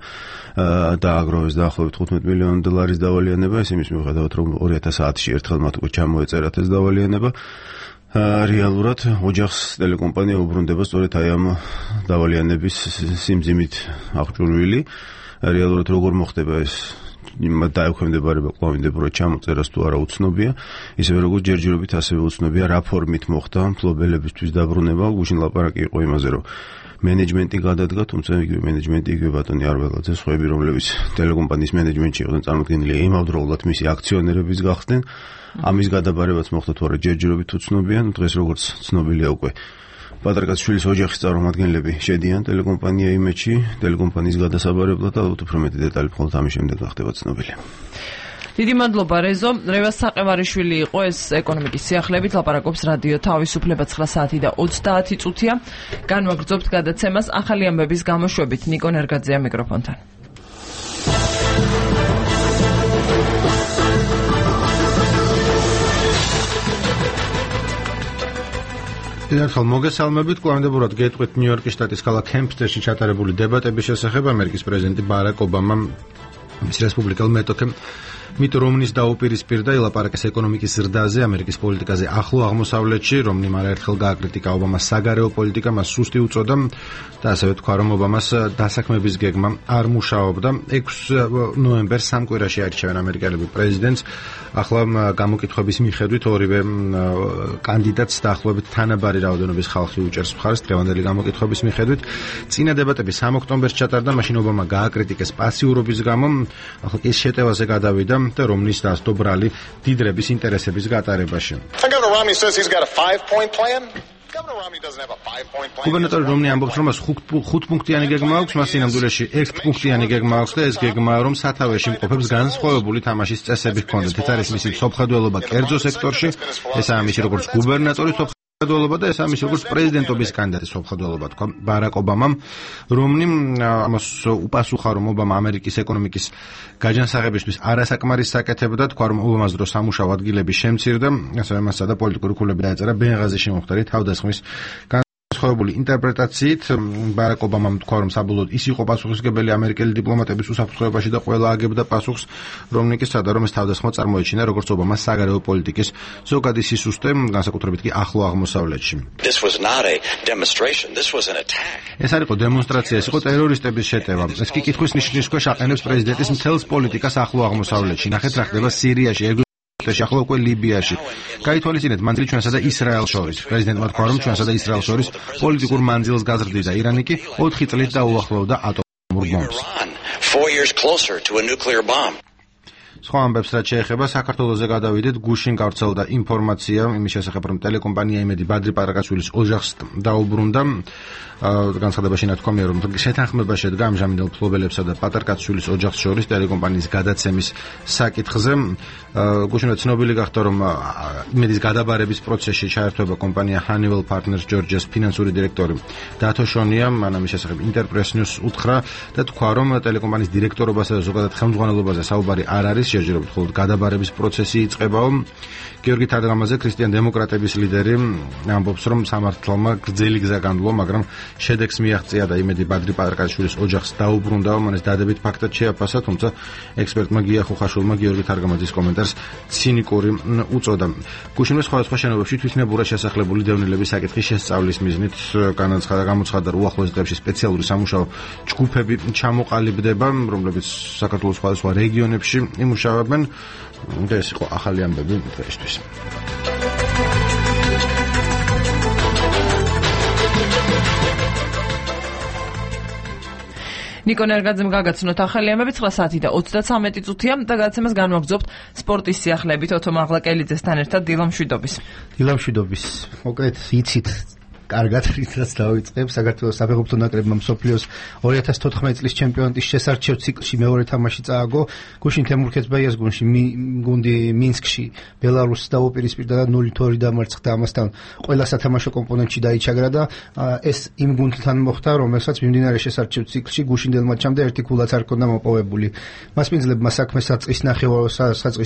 S2: დააგროვეს დაახლოებით $15 მილიონ დავალიანება, ეს იმის მიუხედავად რომ 2010-ში ერთხელ მათ უკვე ჩამოეწერათ ეს დავალიანება. რეალურად ოჯახს ტელეკომპანია უბრუნდება სწორედ აი ამ დავალიანების სიმძიმით აღჭურვილი. რეალურად როგორ მოხდება ეს დაექვემდებარება კვლავინდებურად ჩამოწერას თუ არა უცნობია, ისევე როგორც ჯერჯერობით ასევე უცნობია რა ფორმით მოხდა მფლობელებისთვის დაბრუნება. გუშინ ლაპარაკი იყო იმაზე, რომ მენეჯმენტი გადადგა, თუმცა იგივე მენეჯმენტი, იგივე ბატონი არველაძე, სხვაები, რომლებიც ტელეკომპანიის მენეჯმენტში იყვნენ წარმოდგენილი, იმავდროულად მისი აქციონერების გახდნენ. ამის გადაბარებაც მოხდა თუ არა ჯერჯერობით უცნობია, დღეს როგორც ცნობილია უკვე პატრიკაშვილის ოჯახის წარმომადგენლები შედიან ტელეკომპანია იმედში, ტელეკომპანიის გადასაბარებლად და ალბათ უფრო მეტი დეტალი მხოლოდ ამის შემდეგ გახდება ცნობილი.
S1: დიდი მადლობა რეზო. რევას საყევარიშვილი იყო ეს ეკონომიკის სიახლეებით ლაპარაკობს რადიო თავისუფლება 9 საათი და 30 წუთია. განვაგრძობთ გადაცემას ახალი ამბების გამოშვებით. ნიკო ნერგაძეა მიკროფონთან.
S2: ერთხელ მოგესალმებით, კვლავინდებურად გეტყვით ნიუ-იორკის შტატის ქალაქ ჰემპსტერში ჩატარებული დებატების შესახებ. ამერიკის პრეზიდენტი ბარაკ ობამამ მის რესპუბლიკელ მეტოქემ მიტ რომნის დაუპირისპირდა ილაპარაკეს ეკონომიკის ზრდაზე, ამერიკის პოლიტიკაზე ახლო აღმოსავლეთში. რომნიმ არაერთხელ გააკრიტიკა ობამას საგარეო პოლიტიკა, მას სუსტი უწოდა და ასევე თქვა, რომ ობამას დასაქმების გეგმა არ მუშაობდა. 6 ნოემბერს სამ კვირაში აირჩევენ ამერიკელები პრეზიდენტს. ახლა გამოკითხვების მიხედვით ორივე კანდიდატს დაახლოებით თანაბარი რაოდენობის ხალხი უჭერს მხარს. დღევანდელი გამოკითხვების მიხედვით წინა დებატები 3 ოქტომბერს ჩატარდა, მაშინ ობამა გააკრიტიკეს პასიურობის გამო. ახლა კი შეტევაზე გადავიდა და რომნის დასდო ბრალი დიდრების ინტერესების გატარებაში. გუბერნატორი რომნი ამბობს, რომ მას 5 პუნქტიანი გეგმა აქვს, მას სინამდვილეში 1 პუნქტიანი გეგმა აქვს და ეს გეგმა რომ სათავეში მყოფებს განსხვავებული თამაშის წესები ჰქონდეთ. ეს არის მისი სოფხედველობა კერძო სექტორში, ესაა მისი როგორც გუბერნატორის სოფხედველობა და ესაა მისი როგორც პრეზიდენტობის კანდიდატის სოფხედველობა, თქვა ბარაკ ობამამ. რომნიმ ამას უპასუხა, რომ ობამა ამერიკის ეკონომიკის გაჯანსაღებისთვის არასაკმარისს აკეთებდა, თქვა, რომ ობამას დროს სამუშაო ადგილები შემცირდა, ასევე მასა და პოლიტიკური ქულები დაეწერა ბენღაზიში მომხდარი თავდასხმის განსხვავებული ინტერპრეტაციით. ბარაკ ობამამ თქვა, რომ საბოლოოდ ის იყო პასუხისმგებელი ამერიკელი დიპლომატების უსაფრთხოებაში და ყველა აგებდა პასუხს. რომნი კი სცადა, რომ ეს თავდასხმა წარმოეჩინა როგორც ობამას საგარეო პოლიტიკის ზოგადი სისუსტე, განსაკუთრებით კი ახლო აღმოსავლეთში. ეს არ იყო დემონსტრაცია, ეს იყო ტერორისტების შეტევა. ეს კი კითხვის ნიშნის ქვეშ აყენებს პრეზიდენტის მთელს პოლიტიკას ახლო აღმოსავლეთში. ნახეთ რა ხდება სირიაში, ახლა უკვე ლიბიაში. გაითვალისწინეთ მანძილი ჩვენსა და ისრაელს შორის. პრეზიდენტმა თქვა, რომ ჩვენსა და ისრაელს შორის პოლიტიკურ მანძილს გაზრდიდა. ირანი კი 4 წლით დაუახლოვდა ატომურ ბომბს. სხვა ამბებს რაც შეეხება საქართველოზე გადავიდეთ. გუშინ გავრცელდა ინფორმაცია იმის შესახებ, რომ ტელეკომპანია იმედი ბადრი პარაკაშვილის ოჯახს დაუბრუნდა. განცხადებაში ნათქვამია, რომ შეთანხმება შედგა ამჟამინდელ მფლობელებსა და პატარკაცშვილის ოჯახს შორის ტელეკომპანიის გადაცემის საკითხზე. გუშინვე ცნობილი გახდა, რომ იმედის გადაბარების პროცესში ჩაერთვება კომპანია Honeywell Partners Georgia-ს ფინანსური დირექტორი დათო შონია. მან ამის შესახებ Interpress News უთხრა და თქვა, რომ ტელეკომპანიის დირექტორობასა და ზოგადად ხელმძღვანელობაზე საუბარი არ არის, ჯერჯერობით მხოლოდ გადაბარების პროცესი იწყებაო. გიორგი თადღამაძე, ქრისტიან დემოკრატების ლიდერი, ამბობს, რომ სამართალმა გრძელი გზა განვლო, მაგრამ შედეგს მიაღწია და იმედი ბადრი პარაკაშვილის ოჯახს დაუბრუნდა. მან ეს დადებით ფაქტად შეაფასა, თუმცა ექსპერტმა გია ხუხაშვილმა გიორგი თარგამაძის კომენტარს ცინიკური უწოდა. გუშინვე სხვადასხვა შენობებში თვითნებურად შესახლებული დევნილების საკითხის შესწავლის მიზნით გამოცხადა, რომ უახლოეს დღეებში სპეციალური სამუშაო ჯგუფები ჩამოყალიბდება, რომლებიც საქართველოს სხვადასხვა რეგიონებში იმუშავებენ. ეს იყო ახალი ამბები დღეისთვის.
S1: ნიკო ნერგაძემ გაგაცნოთ ახალი ამბები 9 საათი და 33 წუთია და გადაცემას განვაგრძობთ სპორტის სიახლეებით ოთო მაღლაკელიძესთან ერთად დილამშვიდობის.
S18: დილამშვიდობის. მოკლედ იცით კარგად რითაც დავიწყებ საქართველოს საფეხბურთო ნაკრებმა მსოფლიოს 2014 წლის ჩემპიონატის შესარჩევ ციკლში მეორე თამაში წააგო. გუშინ თემურ ქეცბაიას გუნდი მინსკში ბელარუსს დაუპირისპირდა და 0-2 დამარცხდა. ამასთან ყველა სათამაშო კომპონენტში დაიჩაგრა და ეს იმ გუნდთან მოხდა, რომელსაც მიმდინარე შესარჩევ ციკლში გუშინდელ მატჩამდე ერთი ქულაც არ ჰქონდა მოპოვებული. მასპინძლებმა საქმე საწყის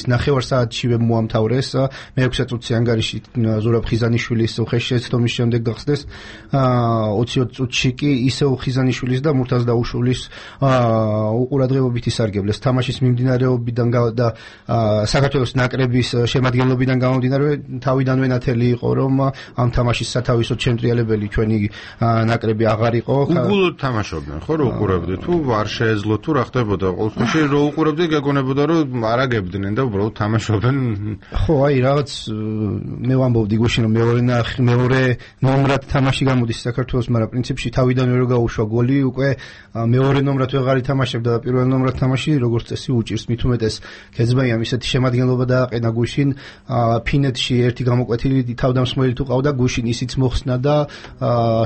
S18: ნახევარ საათშივე მოამთავრეს. მე-6 წუთში ანგარიში ზურაბ ხიზანიშვილის უხეში შეცდომის შემდეგ გახსდეს 20 წუთში კი ისევ ხიზანიშვილის და მურთაზ დაუშულის უყურადღებობით ისარგებლეს. თამაშის მიმდინარეობიდან და საქართველოს ნაკრების შემადგენლობიდან გამომდინარე თავიდანვე ნათელი იყო, რომ ამ თამაშის სათავისოდ შემტრიალებელი ჩვენი ნაკრები აღარ იყო.
S2: უგულოდ თამაშობდნენ, ხო, რო უყურებდი თუ არ შეეძლო თუ რა ხდებოდა? ყოველ შემთხვევაში რო უყურებდი გეგონებოდა რომ არაგებდნენ და უბრალოდ თამაშობდნენ.
S18: ხო, აი რაღაც მე ვამბობდი გუშინ რომ მეორე ნომრად თამაში გამოდის საქართველოს, მაგრამ პრინციპში თავიდანვე რო გაუშვა გოლი, უკვე მეორე ნომრად ვეღარ ითამაშებდა და პირველ ნომრად თამაში როგორც წესი უჭირს. მით უმეტეს ქეცბაიამ ისეთი შემადგენლობა დააყენა გუშინ, ფინეთში ერთი გამოკვეთილი თავდამსხმელი თუ ყავდა, გუშინ ისიც მოხსნა და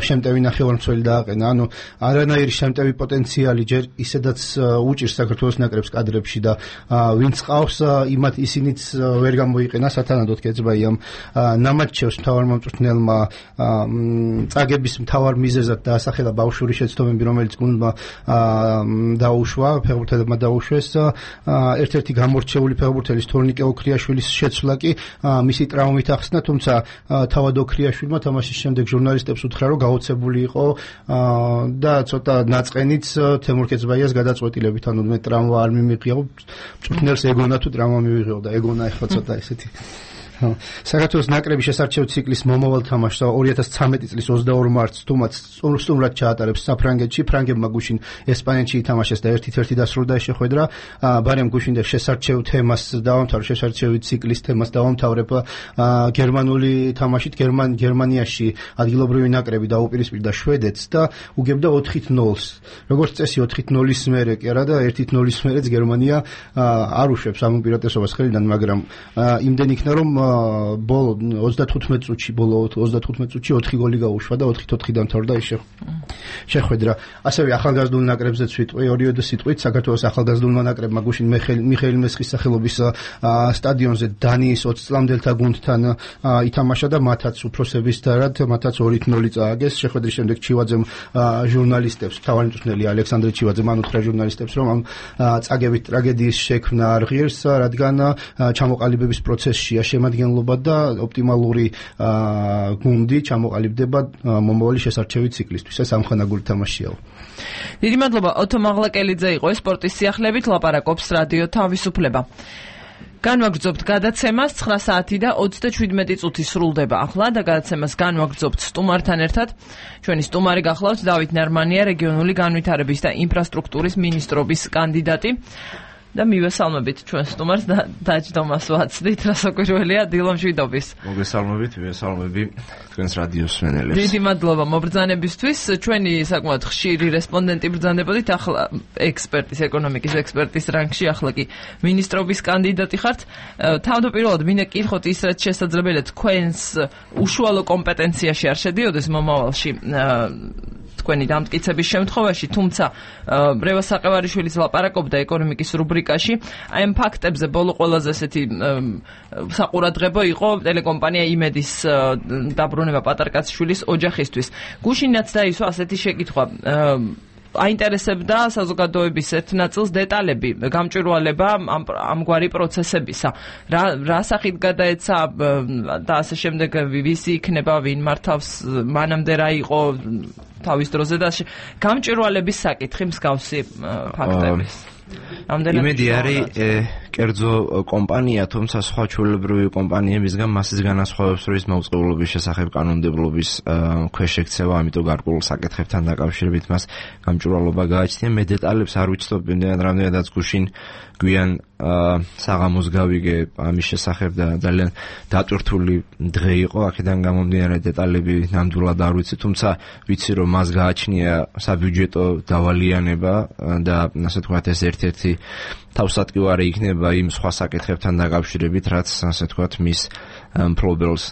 S18: შემტევი ნახევარმცველი დააყენა. ანუ არანაირი შემტევი პოტენციალი ჯერ ისედაც უჭირს საქართველოს ნაკრებს კადრებში და ვინც ყავს იმათ ისინიც ვერ გამოიყენა სათანადოდ ქეცბაიამ ნამატჩევს მთავარმომწვრთნელმა წაგების მთავარ მიზეზად დაასახელა ბავშვური შეცდომები, რომელიც გუნდმა დაუშვა, ფეხბურთელებმა დაუშვეს. ერთ-ერთი გამორჩეული ფეხბურთელის თორნიკე ოქრიაშვილის შეცვლა კი მისი ტრავმით ახსნა, თუმცა თავად ოქრიაშვილმა თამაშის შემდეგ ჟურნალისტებს უთხრა, რომ გაოცებული იყო და ცოტა ნაწყენიც თემურ ქეცბაიას გადაწყვეტილებით, ანუ მე ტრავმა არ მიმიღია, მწვრთნელს ეგონა თუ ტრავმა მივიღეო და ეგონა ეხლა ცოტა ესეთი. საქართველოს ნაკრების შესარჩევ ციკლის მომავალ თამაშს 2013 წლის 22 მარტს თუმაც სტუმრად ჩაატარებს საფრანგეთში. ფრანგებმა გუშინ ესპანეთში ითამაშეს და 1-1 დასრულდა ეს შეხვედრა. ბარემ გუშინდელ შესარჩევ თემას დავამთავრებ, შესარჩევი ციკლის თემას დავამთავრებ გერმანული თამაშით. გერმანიაში ადგილობრივი ნაკრები დაუპირისპირდა შვედეთს და უგებდა 4-0-ს. როგორც წესი 4-0-ის მერე კი არა და 1-0-ის მერეც გერმანია არ უშვებს ამ უპირატესობას ხელიდან, მაგრამ იმდენ იქნა რომ ბოლო 35 წუთში 4 გოლი გაუშვა და 4-4 დამთავრდა ეს შეხვედრა. ასევე ახალგაზრდულ ნაკრებზეც ვიტყვი, ორიოდე სიტყვით საქართველოს ახალგაზრდულმა ნაკრებმა გუშინ მიხეილ მესხის სახელობის სტადიონზე დანიის 20 წლამდელთა გუნდთან ითამაშა და მათაც უფროსების დარად 2-0 წააგეს. შეხვედრის შემდეგ ჩივაძემ ჟურნალისტებს, მთავარი მწვრთნელი ალექსანდრე ჩივაძემ უთხრა ჟურნალისტებს, რომ ამ წაგებით ტრაგედიის შექმნა არ ღირს, რადგან ჩამოყალიბების პროცესშია შემადგენლობა და ოპტიმალური გუნდი ჩამოყალიბდება მომავალი შესარჩევი ციკლისთვის. ეს ამხანაგური თამაშია.
S1: დიდი მადლობა. ოთო მაღლაკელიძე იყო სპორტის სიახლეებით ლაპარაკობს რადიო თავისუფლება. განვაგრძობთ გადაცემას 9 საათი და 37 წუთი სრულდება ახლა და გადაცემას განვაგრძობთ სტუმართან ერთად. ჩვენი სტუმარი გახლავთ დავით ნარმანია, რეგიონული განვითარების და ინფრასტრუქტურის მინისტრობის კანდიდატი. და მივესალმებით ჩვენ სტუმარს და დაჯდომას ვაცდით, რასაკვირველია დილომშვიდობის.
S5: მოგესალმებით, მივესალმები თქვენს რადიოს მსმენელებს.
S1: დიდი მადლობა მობრძანებისთვის. ჩვენი საკმაოდ ხშირი რესპონდენტი ბრძანებოდით, ახლა ექსპერტის, ეკონომიკის ექსპერტის რანგში, ახლა კი მინისტრობის კანდიდატი ხართ. თავდაპირველად მინდა გკითხოთ ის, რაც შესაძლებელია თქვენს უშუალო კომპეტენციაში არ შედიოდეს მომავალში თქვენი დამტკიცების შემთხვევაში, თუმცა რევას საყევარიშვილის ლაპარაკობდა ეკონომიკის რუბრიკაში, აი ამ ფაქტებზე ბოლო ყველაზე ესეთი საყურადღებო იყო ტელეკომპანია იმედის დაბრუნება პატარკაცშვილის ოჯახისთვის. გუშინაც დაისვა ასეთი შეკითხვა, აინტერესებდა საზოგადოების ერთ ნაწილს დეტალები, გამჭვირვალება ამგვარი პროცესებისა. რა სახით გადაეცა და ასე შემდეგ, ვისი იქნება, ვინ მართავს, მანამდე რა იყო თავის დროზე და გამჭვირვალების საკითხი მსგავსი ფაქტების.
S5: იმედი არის კერძო კომპანია, თუმცა სხვა ჩვეულებრივი კომპანიებისგან მასის განასხვავებს, რომ ის მოვწყებულობის შესახებ კანონმდებლობის ქვეშ ექცევა, ამიტომ გარკვეულ საკითხებთან დაკავშირებით მას გამჭვირვალობა გააჩნია. მე დეტალებს არ ვიცნობ, რამდენადაც გუშინ გვიან საღამოს გავიგე ამის შესახებ და ძალიან დატვირთული დღე იყო, აქედან გამომდინარე დეტალები ნამდვილად არ ვიცი, თუმცა ვიცი, რომ მას გააჩნია საბიუჯეტო დავალიანება და ასე თქვათ ეს ერთ-ერთი თავსატკივარი იქნება იმ სხვა საკითხებთან დაკავშირებით, რაც ასე თქვათ მის მფლობელს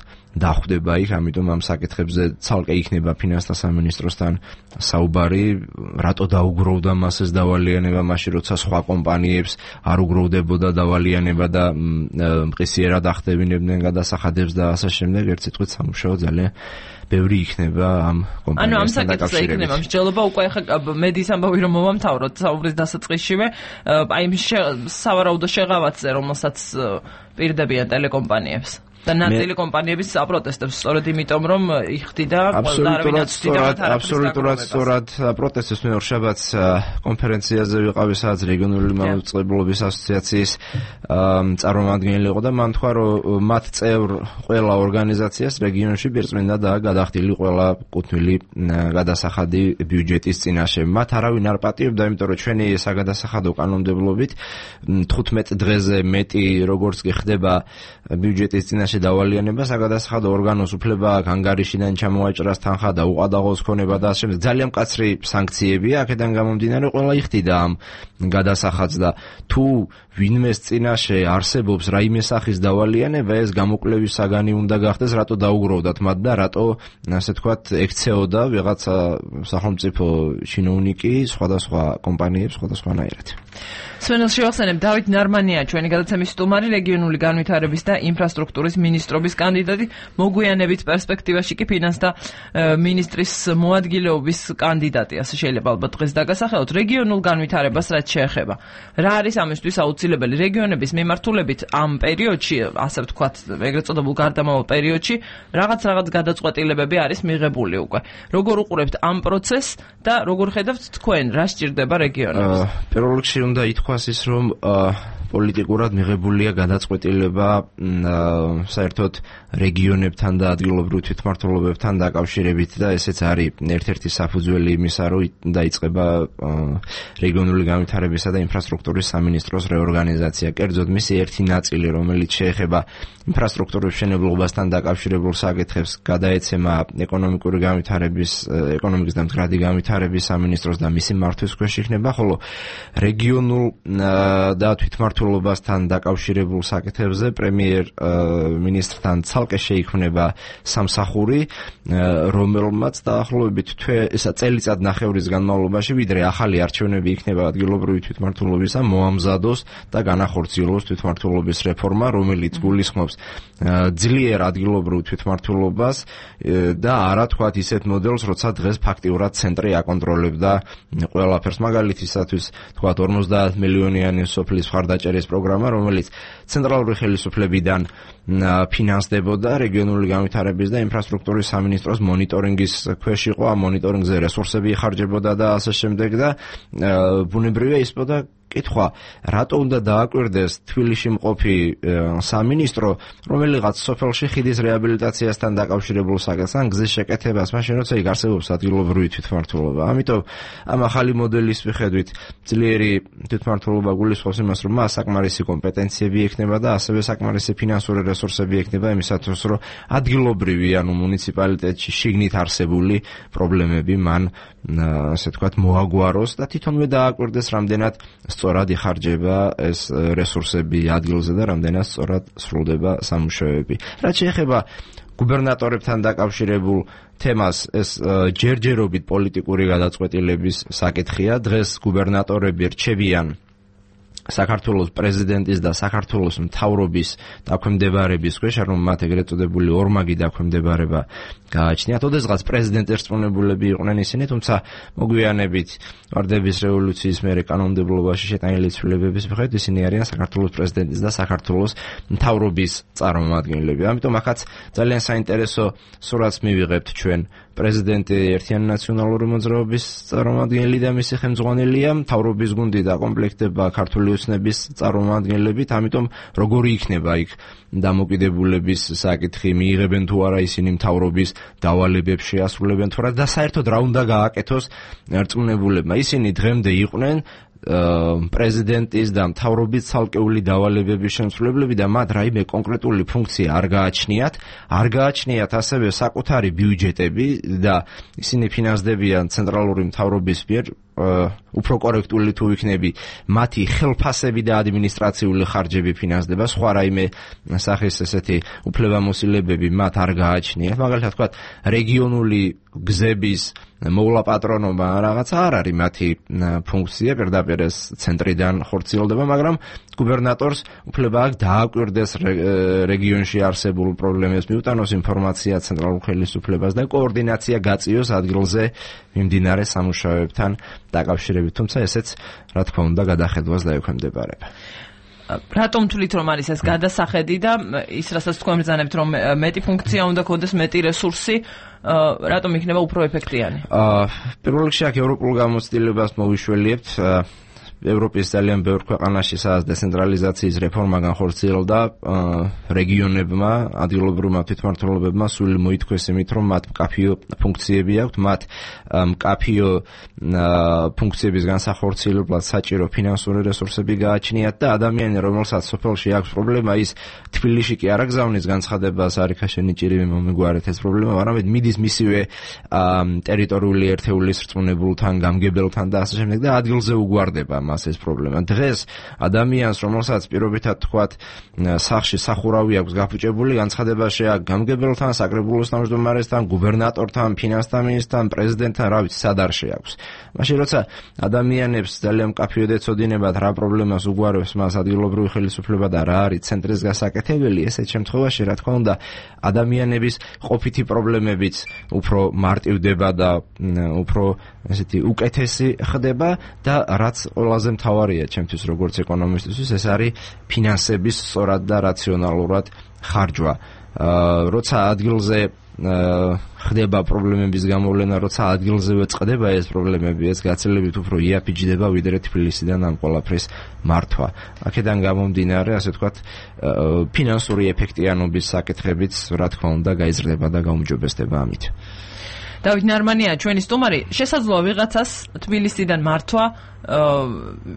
S5: დახვდება იქ, ამიტომ ამ საკითხებზე ცალკე იქნება ფინანსთა სამინისტროსთან საუბარი, რატო დაუგროვდა მასეს დავალიანება მაშინ, როცა სხვა კომპანიებს არ უგროვდებოდა დავალიანება და მყისიერად ახდებინებდნენ გადასახადებს და ასე შემდეგ, ერთ სიტყვით სამუშაო ძალიან ბევრი იქნება ამ კომპანიასთან
S1: დაკავშირებით. ამ საკითხზე იქნება მსჯელობა, უკვე ახლა მედის ამბავი რომ მოვამთავროთ საუბრის დასაწყისშივე, აი სავარაუდო შეღავათზე, რომელსაც პირდებიან ტელეკომპანიებს. და ნაწილი კომპანიების აპროტესტებს სწორედ იმიტომ რომ იხდიდა
S5: აბსოლუტურად სწორად პროტესტებს მე ორშაბათს კონფერენციაზე ვიყავი სადაც რეგიონული მაუწყებლობის ასოციაციის წარმომადგენელი იყო და მან თქვა რომ მათ წევრ ყველა ორგანიზაციას რეგიონში პირწმინდა და გადახდილი ყველა კუთვნილი გადასახადი ბიუჯეტის წინაშე. მათ არავინ არ პატიებდა, იმიტომ რომ ჩვენი საგადასახადო კანონმდებლობით 15 დღეზე მეტი როგორც კი ხდება ბიუჯეტის წინაშე დავალიანება, საგადასახადო ორგანოს უფლება აქვს ანგარიშიდან ჩამოაჭრას თანხა და უყადაღოს ქონება და ასე შემდეგ. ძალიან მკაცრი სანქციებია, აქედან გამომდინარე ყველა იხდიდა ამ გადასახადს და თუ ვინმეს წინაშე არსებობს რაიმე სახის დავალიანება, ეს გამოკვლევის საგანი უნდა გახდეს, რატო დაუგროვდათ მათ და რატო ასე თქვათ ექცეოდა ვიღაცა სახელმწიფო ჩინოვნიკი სხვადასხვა კომპანიებს სხვადასხვანაირად.
S1: სვენელს შევახსენებ, დავით ნარმანია ჩვენი გადაცემის სტუმარი, რეგიონული განვითარების და ინფრასტრუქტურის მინისტრობის კანდიდატი, მოგვიანებით პერსპექტივაში კი ფინანსთა მინისტრის მოადგილეობის კანდიდატი, ასე შეიძლება ალბათ დღეს დაგასახელოთ. რეგიონულ განვითარებას რაც შეეხება, რა არის ამისთვის აუცილებელი? რეგიონების მიმართულებით ამ პერიოდში, ასე ვთქვათ, ეგრეთ წოდებულ გარდამავალ პერიოდში, რაღაც გადაწყვეტილებები არის მიღებული უკვე. როგორ უყურებთ ამ პროცესს და როგორ ხედავთ თქვენ, რა სჭირდება რეგიონებს?
S5: პირველ რიგში უნდა ითქვას ის, რომ პოლიტიკურად მიღებულია გადაწყვეტილება საერთოდ რეგიონებთან და ადგილობრივ თვითმმართველობებთან დაკავშირებით და ესეც არის ერთ-ერთი საფუძველი იმისა, რომ დაიწყება რეგიონული განვითარებისა და ინფრასტრუქტურის სამინისტროს რეორგანიზაცია. კერძოდ მისი ერთი ნაწილი, რომელიც შეეხება ინფრასტრუქტურის მშენებლობასთან დაკავშირებულ საკითხებს, გადაეცემა ეკონომიკური განვითარების, ეკონომიკის და მდგრადი განვითარების სამინისტროს და მისი მართვის ქვეშ იქნება, ხოლო რეგიონულ და თვითმმართველობასთან დაკავშირებულ საკითხებზე პრემიერ-მინისტრთან ცალკე შეიქმნება სამსახური, რომელმაც დაახლოებით წელიწად ნახევრის განმავლობაში, ვიდრე ახალი არჩევნები იქნება ადგილობრივი თვითმმართველობისა, მოამზადოს და განახორციელოს თვითმმართველობის რეფორმა, რომელიც გულისხმობს ძლიერ ადგილობრივ თვითმმართველობას და არა თქვათ ისეთ მოდელს, როცა დღეს ფაქტიურად ცენტრი აკონტროლებდა ყველაფერს. მაგალითისათვის თქვათ 50 მილიონიანი სოფლის მხარდაჭერის პროგრამა, რომელიც ცენტრალური ხელისუფლებიდან ფინანსდებოდა რეგიონული განვითარების და ინფრასტრუქტურის სამინისტროს მონიტორინგის ქვეშ იყო, ამ მონიტორინგზე რესურსები იხარჯებოდა და ასე შემდეგ და ბუნებრივია ისპოდა კითხვა, რატო უნდა დააკვირდეს თბილისში მყოფი სამინისტრო რომელიღაც სოფელში ხიდის რეაბილიტაციასთან დაკავშირებულ საკითხს ან გზის შეკეთებას, მაშინ როცა იქ არსებობს ადგილობრივი თვითმმართველობა. ამიტომ ამ ახალი მოდელის მიხედვით ძლიერი თვითმმართველობა გულისხმობს იმას, რომ მას საკმარისი კომპეტენციები ექნება და ასევე საკმარისი ფინანსური რესურსები ექნება იმისათვის, რომ ადგილობრივი ანუ მუნიციპალიტეტში შიგნით არსებული პრობლემები მან ასე თქვათ მოაგვაროს და თვითონვე დააკვირდეს რამდენად სწორად იხარჯება ეს რესურსები ადგილზე და რამდენად სწორად სრულდება სამუშაოები. რაც შეეხება გუბერნატორებთან დაკავშირებულ თემას, ეს ჯერჯერობით პოლიტიკური გადაწყვეტილების საკითხია. დღეს გუბერნატორები რჩებიან საქართველოს პრეზიდენტის და საქართველოს მთავრობის დაქვემდებარების ქვეშ, რომ მათ ეგრეთ წოდებული ორმაგი დაქვემდებარება გააჩნიათ. ოდესღაც პრეზიდენტის რწმუნებულები იყვნენ ისინი, თუმცა მოგვიანებით ვარდების რევოლუციის მერე კანონმდებლობაში შეტანილი ცვლილებების მიხედვით ისინი არიან საქართველოს პრეზიდენტის და საქართველოს მთავრობის წარმომადგენლები. ამიტომ ახაც ძალიან საინტერესო სურათს მივიღებთ ჩვენ. პრეზიდენტი ერთიანი ნაციონალური მოძრაობის წარმომადგენელი და მისი ხელმძღვანელია, მთავრობის გუნდი დაკომპლექტდება ქართული ოცნების წარმომადგენლებით, ამიტომ როგორი იქნება იქ დამოკიდებულების საკითხი, მიიღებენ თუ არა ისინი მთავრობის დავალებებს, შეასრულებენ თუ არა და საერთოდ რა უნდა გააკეთოს რწმუნებულებმა. ისინი დღემდე იყვნენ პრეზიდენტის და მთავრობის ცალკეული დავალებების შემსრულებლები და მათ რაიმე კონკრეტული ფუნქცია არ გააჩნიათ ასევე საკუთარი ბიუჯეტები და ისინი ფინანსდებიან ცენტრალური მთავრობის მიერ
S19: უფრო კორექტული თუ იქნები, მათი ხელფასები და ადმინისტრაციული ხარჯები ფინანსდება, სხვა რაიმე სახის ესეთი უფლებამოსილებები მათ არ გააჩნიათ. მაგალითად ვთქვათ, რეგიონული გზების მოვლაპატრონობა რაღაცა არ არის მათი ფუნქცია, პირდაპირ ეს ცენტრიდან ხორციელდება, მაგრამ გუბერნატორს უფლება აქვს დააკვირდეს რეგიონში არსებულ პრობლემებს, მიუტანოს ინფორმაცია ცენტრალურ ხელისუფლებას და კოორდინაცია გაწიოს ადგილზე მიმდინარე სამუშაოებთან დაკავშირებით, თუმცა ესეც რა თქმა უნდა გადახედვას დაექვემდებარება.
S1: რატომ თვლით რომ არის ეს გადასახედი და ის რასაც თქვენ ბრძანებთ რომ მეტი ფუნქცია უნდა ქონდეს, მეტი რესურსი, რატომ იქნება უფრო ეფექტიანი?
S19: პირველ რიგში აქ ევროპულ გამოცდილებას მოვიშველიებთ. ევროპის ძალიან ბევრ ქვეყანაში სადაც დეცენტრალიზაციის რეფორმა განხორციელდა, რეგიონებმა, ადგილობრივმა თვითმმართველობებმა სული მოითქვეს იმით, რომ მათ მკაფიო ფუნქციები აქვთ, მათ მკაფიო ფუნქციების განსახორციელებლად საჭირო ფინანსური რესურსები გააჩნიათ და ადამიანი, რომელსაც სოფელში აქვს პრობლემა, ის თბილისში კი არ აგზავნის განცხადებას, არიქაშენი ჭირი მომიგვარეთ ეს პრობლემა, არამედ მიდის მისივე ტერიტორიული ერთეულის რწმუნებულთან, გამგებელთან და ასე შემდეგ და ადგილზე უგვარდება მას ეს პრობლემა. დღეს ადამიანს, რომელსაც პირობითად თქვათ, სახლში სახურავი აქვს გაფუჭებული, განცხადება შეაქვს გამგებელთან, საკრებულოს თავმჯდომარესთან, გუბერნატორთან, ფინანსთა მინისტრთან, პრეზიდენტთან, რა ვიცი, სად არ შეაქვს. მაშინ როცა ადამიანებს ძალიან მკაფიოდ ეცოდინებათ რა პრობლემას უგვარებს მას ადგილობრივი ხელისუფლება და რა არის ცენტრის გასაკეთებელი, ესეთ შემთხვევაში რა თქმა უნდა ადამიანების ყოფითი პრობლემებიც უფრო მარტივდება და უფრო ესეთი უკეთესი ხდება და რაც ყველაზე მთავარია ჩემთვის როგორც ეკონომისტისთვის, ეს არის ფინანსების სწორად და რაციონალურად ხარჯვა. როცა ადგილზე ხდება პრობლემების გამოვლენა, როცა ადგილზევე წყდება ეს პრობლემები, ეს გაცილებით უფრო იაფიჯდება ვიდრე თბილისიდან ამ ყველაფრის მართვა. აქედან გამომდინარე, ასე ვთქვათ, ფინანსური ეფექტიანობის საკითხებიც რა თქმა უნდა გაიზრდება და გაუმჯობესდება ამით.
S1: დავით ნარმანია, ჩვენი სტუმარი, შესაძლოა ვიღაცას თბილისიდან მართვა,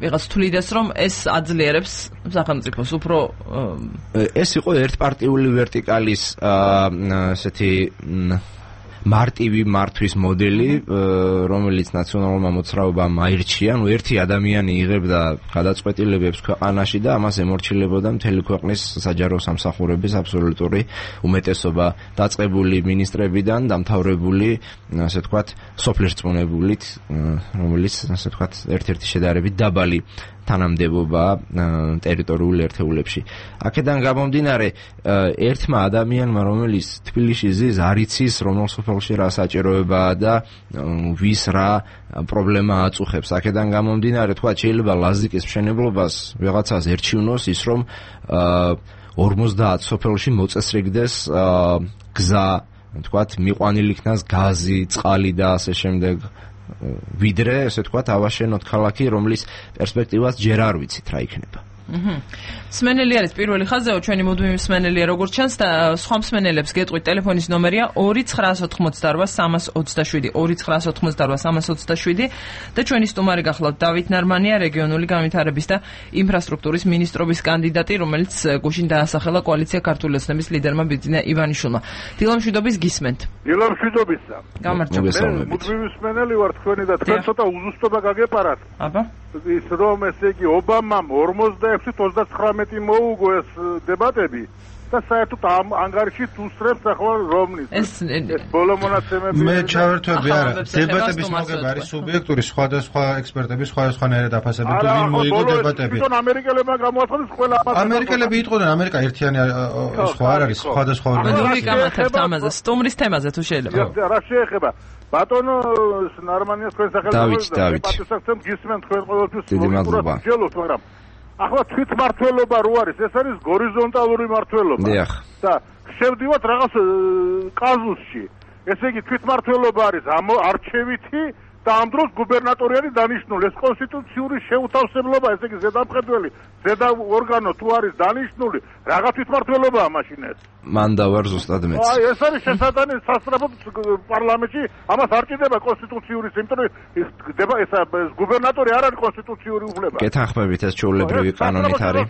S1: ვიღაც თვლიდეს, რომ ეს აძლიერებს სახელმწიფოს უფრო
S19: ეს იყო ერთპარტიული ვერტიკალის ესეთი მარტივი მართვის მოდელი, რომელიც ნაციონალურმა მოძრაობამ აირჩია, ანუ ერთი ადამიანი იღებდა გადაწყვეტილებებს ქვეყანაში და ამას ემორჩილებოდა მთელი ქვეყნის საჯარო სამსახურების აბსოლუტური უმეტესობა, დაწყებული მინისტრებიდან, დამთავრებული, ასე ვთქვათ, სოფლის რწმუნებულით, რომელიც, ასე ვთქვათ, ერთ-ერთი შედარებით დაბალი თანამდებობა ტერიტორიულ ერთეულებში. აქედან გამომდინარე, ერთმა ადამიანმა, რომელიც თბილისში ზის, არ იცის, რომელ სოფელში რა საჭიროებაა და ვის რა პრობლემა აწუხებს. აქედან გამომდინარე, თქვა, შეიძლება ლაზიკის მშენებლობას ვიღაცას ერჩივნოს ის, რომ 50 სოფელში მოწესრიგდეს გზა, თქვათ, მიყვანილი იქნას გაზი, წყალი და ასე შემდეგ. ვიდრე, ესე ვთქვათ, ავაშენოთ ქალაქი, რომლის პერსპექტივას ჯერ არ ვიცით რა იქნება.
S1: მსმენელი არის პირველი ხაზეო, ჩვენი მუდმივი მსმენელია როგორც ჩანს და სხვა მსმენელებს გეტყვით, ტელეფონის ნომერია 2988-327, 2988-327 და ჩვენი სტუმარი გახლავთ დავით ნარმანია, რეგიონული განვითარების და ინფრასტრუქტურის მინისტრობის კანდიდატი, რომელიც გუშინ დაასახელა კოალიცია ქართული ოცნების ლიდერმა ბიძინა ივანიშვილმა. დილამშვიდობის გისმენთ.
S20: დილამშვიდობისა.
S1: გამარჯობა.
S20: მუდმივი მსმენელი ვარ თქვენი და თქვენ ცოტა უზუსტობა გაგეპარათ.
S1: აბა
S20: ის რომ ესე იგი ობამამ 46-39 მოუგო ეს დებატები და საერთოდ ამ ანგარიშით უსწრებს ახლა რომნის. ეს ბოლო მონაცემები
S2: მე ჩავერთვები არა. დებატების მოგება არის სუბიექტური, სხვადასხვა ექსპერტები სხვადასხვანაირად აფასებენ თუ ვინ მოიგო დებატები.
S20: თვითონ ამერიკელებმა გამოაცხადეს ყველა ამას.
S2: ამერიკელები იტყოდნენ, ამერიკა ერთიანი სხვა არ არის, სხვადასხვა
S1: ორგანიზაცია. გამართავთ ამაზე, სტუმრის თემაზე თუ შეიძლება.
S20: რა შეეხება? ბატონო ნარმანიას თქვენ სახელმწიფოს პატივსაცემ გისმენთ თქვენ ყოველთვის მოგიბრალოთ, მაგრამ ახლა თვითმმართველობა რო არის, ეს არის გორიზონტალური მმართველობა. და შევდივართ რაღაც კაზუსში. ესე იგი თვითმმართველობა არის არჩევითი და ამ დროს გუბერნატორი არის დანიშნული. ეს კონსტიტუციური შეუთავსებლობა, ესე იგი ზედამხედველი, ზედა ორგანო თუ არის დანიშნული, რაღაც თვითმმართველობაა მაშინ ეს.
S19: მან დავარ ზუსტად მეც.
S20: აი, ეს არის შესაძლებელი სასწრაფოდ პარლამენტში, ამას არ ჭირდება კონსტიტუციური, იმიტომ რომ ეს გუბერნატორი არ არის კონსტიტუციური უფლება.
S19: გეთანხმებით ეს ჩვეულებრივი კანონით არის.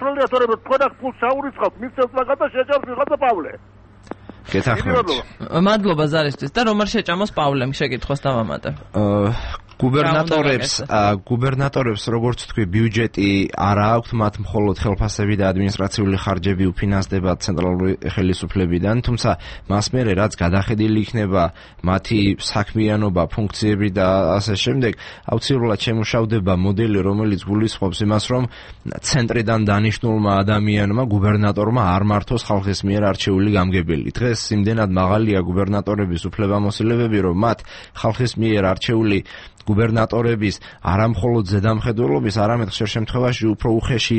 S20: თქვენ აქ ფულს ჩაურიცხავთ, მისცემთ რაღაცა შეჭამს ვიღაცა პავლე.
S19: გეთანხმებით.
S1: მადლობა ზარისთვის და რომ არ შეჭამოს პავლემ შეკითხვას დავამატებ.
S19: გუბერნატორებს როგორც თქვი ბიუჯეტი არ აქვს, მათ მხოლოდ ხელფასები და ადმინისტრაციული ხარჯები უფინანსდება ცენტრალური ხელისუფლებიდან, თუმცა მას მერე რაც გადახედილი იქნება მათი საქმიანობა, ფუნქციები და ასე შემდეგ, აუცილებლად შემუშავდება მოდელი, რომელიც გულისხმობს იმას, რომ ცენტრიდან დანიშნულმა ადამიანმა, გუბერნატორმა არ მართოს ხალხის მიერ არჩეული გამგებელი. დღეს იმდენად მაღალია გუბერნატორების უფლებამოსილებები, რომ მათ ხალხის მიერ არჩეული გუბერნატორების არამხოლოდ ზედამხედველობის, არამედ ხშირ შემთხვევაში უფრო უხეში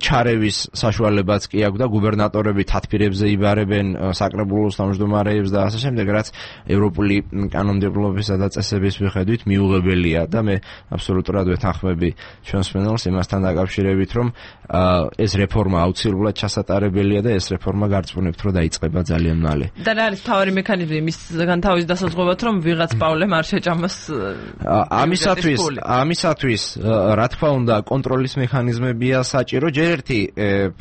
S19: ჩარევის საშუალებაც კი აქვს და გუბერნატორები თათბირებზე იბარებენ საკრებულოს თავმჯდომარეებს და ასე შემდეგ, რაც ევროპული კანონმდებლობისა და წესების მიხედვით მიუღებელია და მე აბსოლუტურად ვეთანხმები ჩვენს მენელს იმასთან დაკავშირებით, რომ ეს რეფორმა აუცილებლად ჩასატარებელია და ეს რეფორმა გარწმუნებთ, რომ დაიწყება ძალიან მალე.
S1: და რა არის მთავარი მექანიზმი მისგან თავის დასაზღვევად, რომ ვიღაც პავლემ არ შეჭამოს
S19: ამისათვის რა თქმა უნდა კონტროლის მექანიზმებია საჭირო. ჯერ ერთი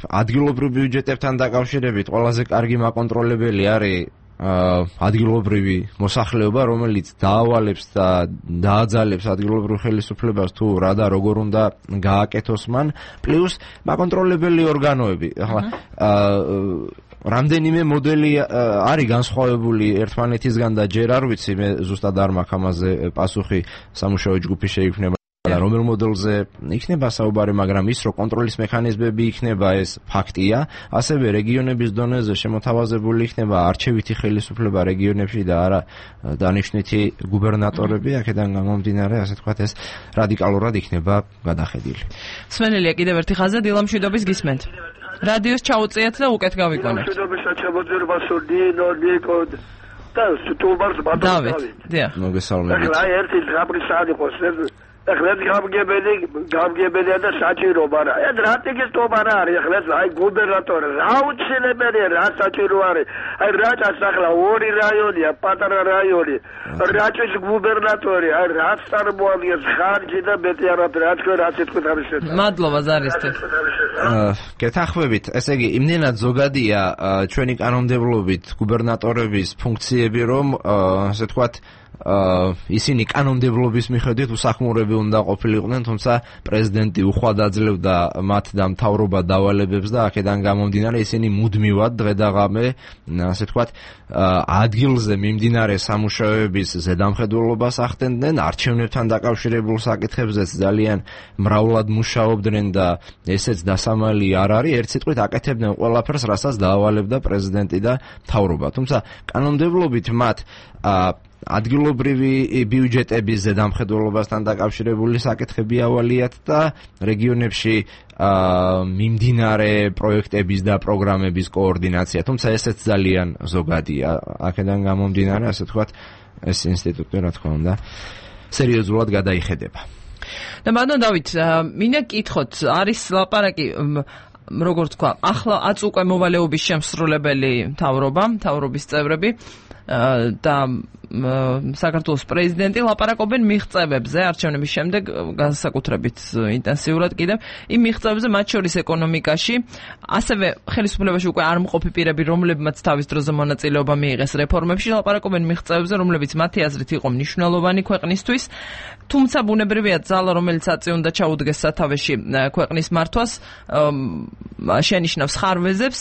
S19: ადგილობრივ ბიუჯეტებთან დაკავშირებით ყველაზე კარგი მაკონტროლებელი არის ადგილობრივი მოსახლეობა, რომელიც დაავალებს და დააძალებს ადგილობრივ ხელისუფლებას თუ რა და როგორ უნდა გააკეთოს მან, პლუს მაკონტროლებელი ორგანოები. ახლა რამდენიმე მოდელი არის განსხვავებული ერთმანეთისგან და ჯერ არ ვიცი, მე ზუსტად არ მაქვს ამაზე პასუხი, სამუშაო ჯგუფი შეიქმნება და რომელ მოდელზე იქნება საუბარი, მაგრამ ის რომ კონტროლის მექანიზმები იქნება, ეს ფაქტია. ასევე რეგიონების დონეზე შემოთავაზებული იქნება არჩევითი ხელისუფლება რეგიონებში და არა დანიშნვითი გუბერნატორები, აქედან გამომდინარე, ასე თქვათ, ეს რადიკალურად იქნება გადახედილი.
S1: სმენელია კიდევ ერთი ხაზი დილამშვიდობის გისმენთ. რადიოს ჩაუწიათ და უკეთ გავიყვანებთ. დავით, დიახ.
S19: მოგესალმებით.
S21: ახლა ერთი ზღაპრისანი ყოს ახლა გამგებელია და საჭირო, მაგრამ ეს რა ტექნიკა არის, ახლა აი გუბერნატორი რა უცნებელია, რა საჭირო არის. აი რაჭას ახლა ორი რაიონია, პატარა რაიონი. რაჭის გუბერნატორი, აი რა წარმოადგენს ხარჯი და მეტი არაფერი, რა თქვენ რა თქმა ამის შესახებ.
S1: მადლობა ზარისთვის.
S19: გეთანხმებით, ესე იგი, იმდენად ზოგადია ჩვენი კანონმდებლობით გუბერნატორების ფუნქციები, რომ ასე თქვათ ისინი კანონმდებლობის მიხედვით უსახმურები უნდა ყოფილიყვნენ, თუმცა პრეზიდენტი უხვად აძლევდა მათ და მთავრობა დავალებებს და აქედან გამომდინარე ისინი მუდმივად დღე და ღამე, ასე ვთქვათ, ადგილზე მიმდინარე სამუშაოების ზედამხედველობას ახდენდნენ, არჩევნებთან დაკავშირებულ საკითხებზეც ძალიან მრავლად მუშაობდნენ და ესეც დასამალი არ არის, ერთ სიტყვით აკეთებდნენ ყველაფერს, რასაც დაავალებდა პრეზიდენტი და მთავრობა. თუმცა კანონმდებლობით მათ ადგილობრივი ბიუჯეტების ზედამხედველობასთან დაკავშირებული საკითხები ავალიათ და რეგიონებში მიმდინარე პროექტების და პროგრამების კოორდინაცია, თუმცა ესეც ძალიან ზოგადია. აქედან გამომდინარე, ასე ვთქვათ, ეს ინსტიტუტი, რა თქმა უნდა, სერიოზულად გადაიხედება.
S1: და ბატონ დავით, მინდა გითხოთ, არის ლაპარაკი როგორ თქვა, ახლა აწუყე მოვალეობის შემსრულებელი მთავრობის წევრები და საქართველოს პრეზიდენტი ლაპარაკობენ მიღწევებზე არჩევნების შემდეგ განსაკუთრებით ინტენსიურად კიდევ იმ მიღწევებზე, მათ შორის ეკონომიკაში, ასევე ხელისუფლებაში უკვე არ მყოფი პირები, რომლებმაც თავის დროზე მონაწილეობა მიიღეს რეფორმებში, ლაპარაკობენ მიღწევებზე, რომლებიც მათი აზრით იყო მნიშვნელოვანი ქვეყნისთვის, თუმცა ბუნებრივია ძალა, რომელიც აწი უნდა ჩაუდგეს სათავეში ქვეყნის მართვას, შენიშნავს ხარვეზებს.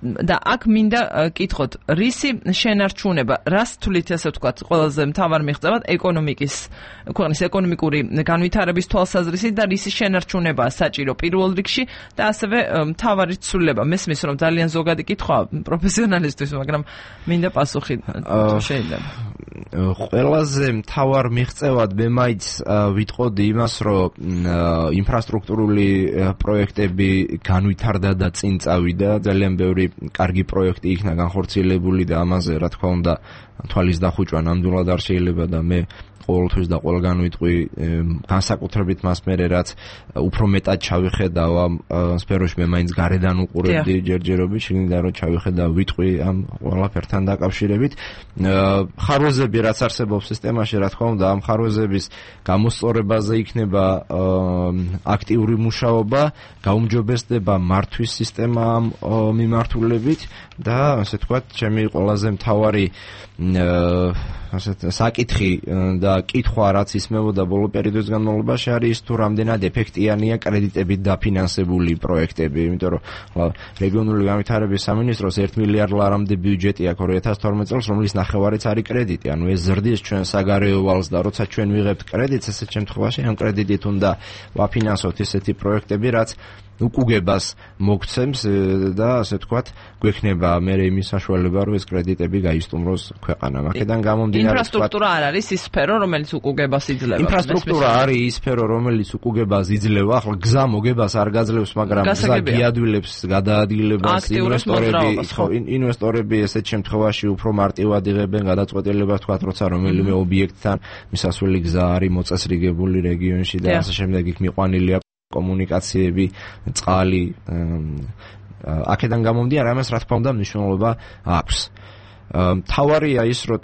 S1: და აქ მინდა კითხოთ, რისი შენარჩუნება, რას თვლით, ასე ვთქვათ, ყველაზე მთავარ მიღწევად ქვეყნის ეკონომიკური განვითარების თვალსაზრისით და რისი შენარჩუნებაა საჭირო პირველ რიგში და ასევე მთავარი ცვლილება. მესმის, რომ ძალიან ზოგადი კითხვაა პროფესიონალისტვის, მაგრამ მინდა პასუხი შეიძლება.
S19: ყველაზე მთავარ მიღწევად მე მაინც ვიტყოდი იმას, რომ ინფრასტრუქტურული პროექტები განვითარდა და წინ წავიდა, ძალიან ბევრი კარგი პროექტი იქნა განხორციელებული და ამაზე, რა თქმა უნდა, თვალის დახუჭვა ნამდვილად არ შეიძლება და მე ყოველთვის და ყველგან ვიტყვი, განსაკუთრებით მას მერე, რაც უფრო მეტად ჩავიხედავ ამ სფეროში, მე მაინც გარედან უყურებდი ჯერჯერობით, შიგნიდან რომ ჩავიხედავ, ვიტყვი ამ ყველაფერთან დაკავშირებით. ხარვეზები რაც არსებობს სისტემაში, რა თქმა უნდა, ამ ხარვეზების გამოსწორებაზე იქნება აქტიური მუშაობა, გაუმჯობესდება მართვის სისტემა ამ მიმართულებით და ასე თქვათ, ჩემი ყველაზე მთავარი საკითხი და კითხვა რაც ისმევოდა ბოლო პერიოდის განმავლობაში არის თუ რამდენად ეფექტიანია კრედიტებით დაფინანსებული პროექტები, იმიტომ რომ რეგიონული განვითარების სამინისტროს 1 მილიარდ ლარამდე ბიუჯეტი აქვს 2012 წელს, რომლის ნახევარიც არის კრედიტი. ანუ ეს ზრდის ჩვენ საგარეო ვალს და როცა ჩვენ ვიღებთ კრედიტს, ესეთ შემთხვევაში ამ კრედიტით უნდა ვაფინანსოთ ესეთი პროექტები, რაც უკუგებას მოგცემს და ასე ვთქვათ, გვექნება მე იმის საშუალება, რომ ეს კრედიტები გაისტუმროს ქვეყანამ. აქედან გამომდინარე,
S1: ინფრასტრუქტურა არ არის ის სფერო, რომელიც უკუგებას იძლევა.
S19: ინფრასტრუქტურა არის ის სფერო, რომელიც უკუგებას იძლევა. ახლა გზა მოგებას არ გაძლევს, მაგრამ გზა გიადვილებს გადაადგილებას ინვესტორები ესეთ შემთხვევაში უფრო მარტივად იღებენ გადაწყვეტილებას, თქვათ, როცა რომელიმე ობიექტთან მისასვლელი გზა არის მოწესრიგებული რეგიონში და ასე შემდეგ იქ მიყვანილია კომუნიკაციები, წყალი, აქედან გამომდინარე, ამას რა თქმა უნდა მნიშვნელობა აქვს. თავარია ის, რომ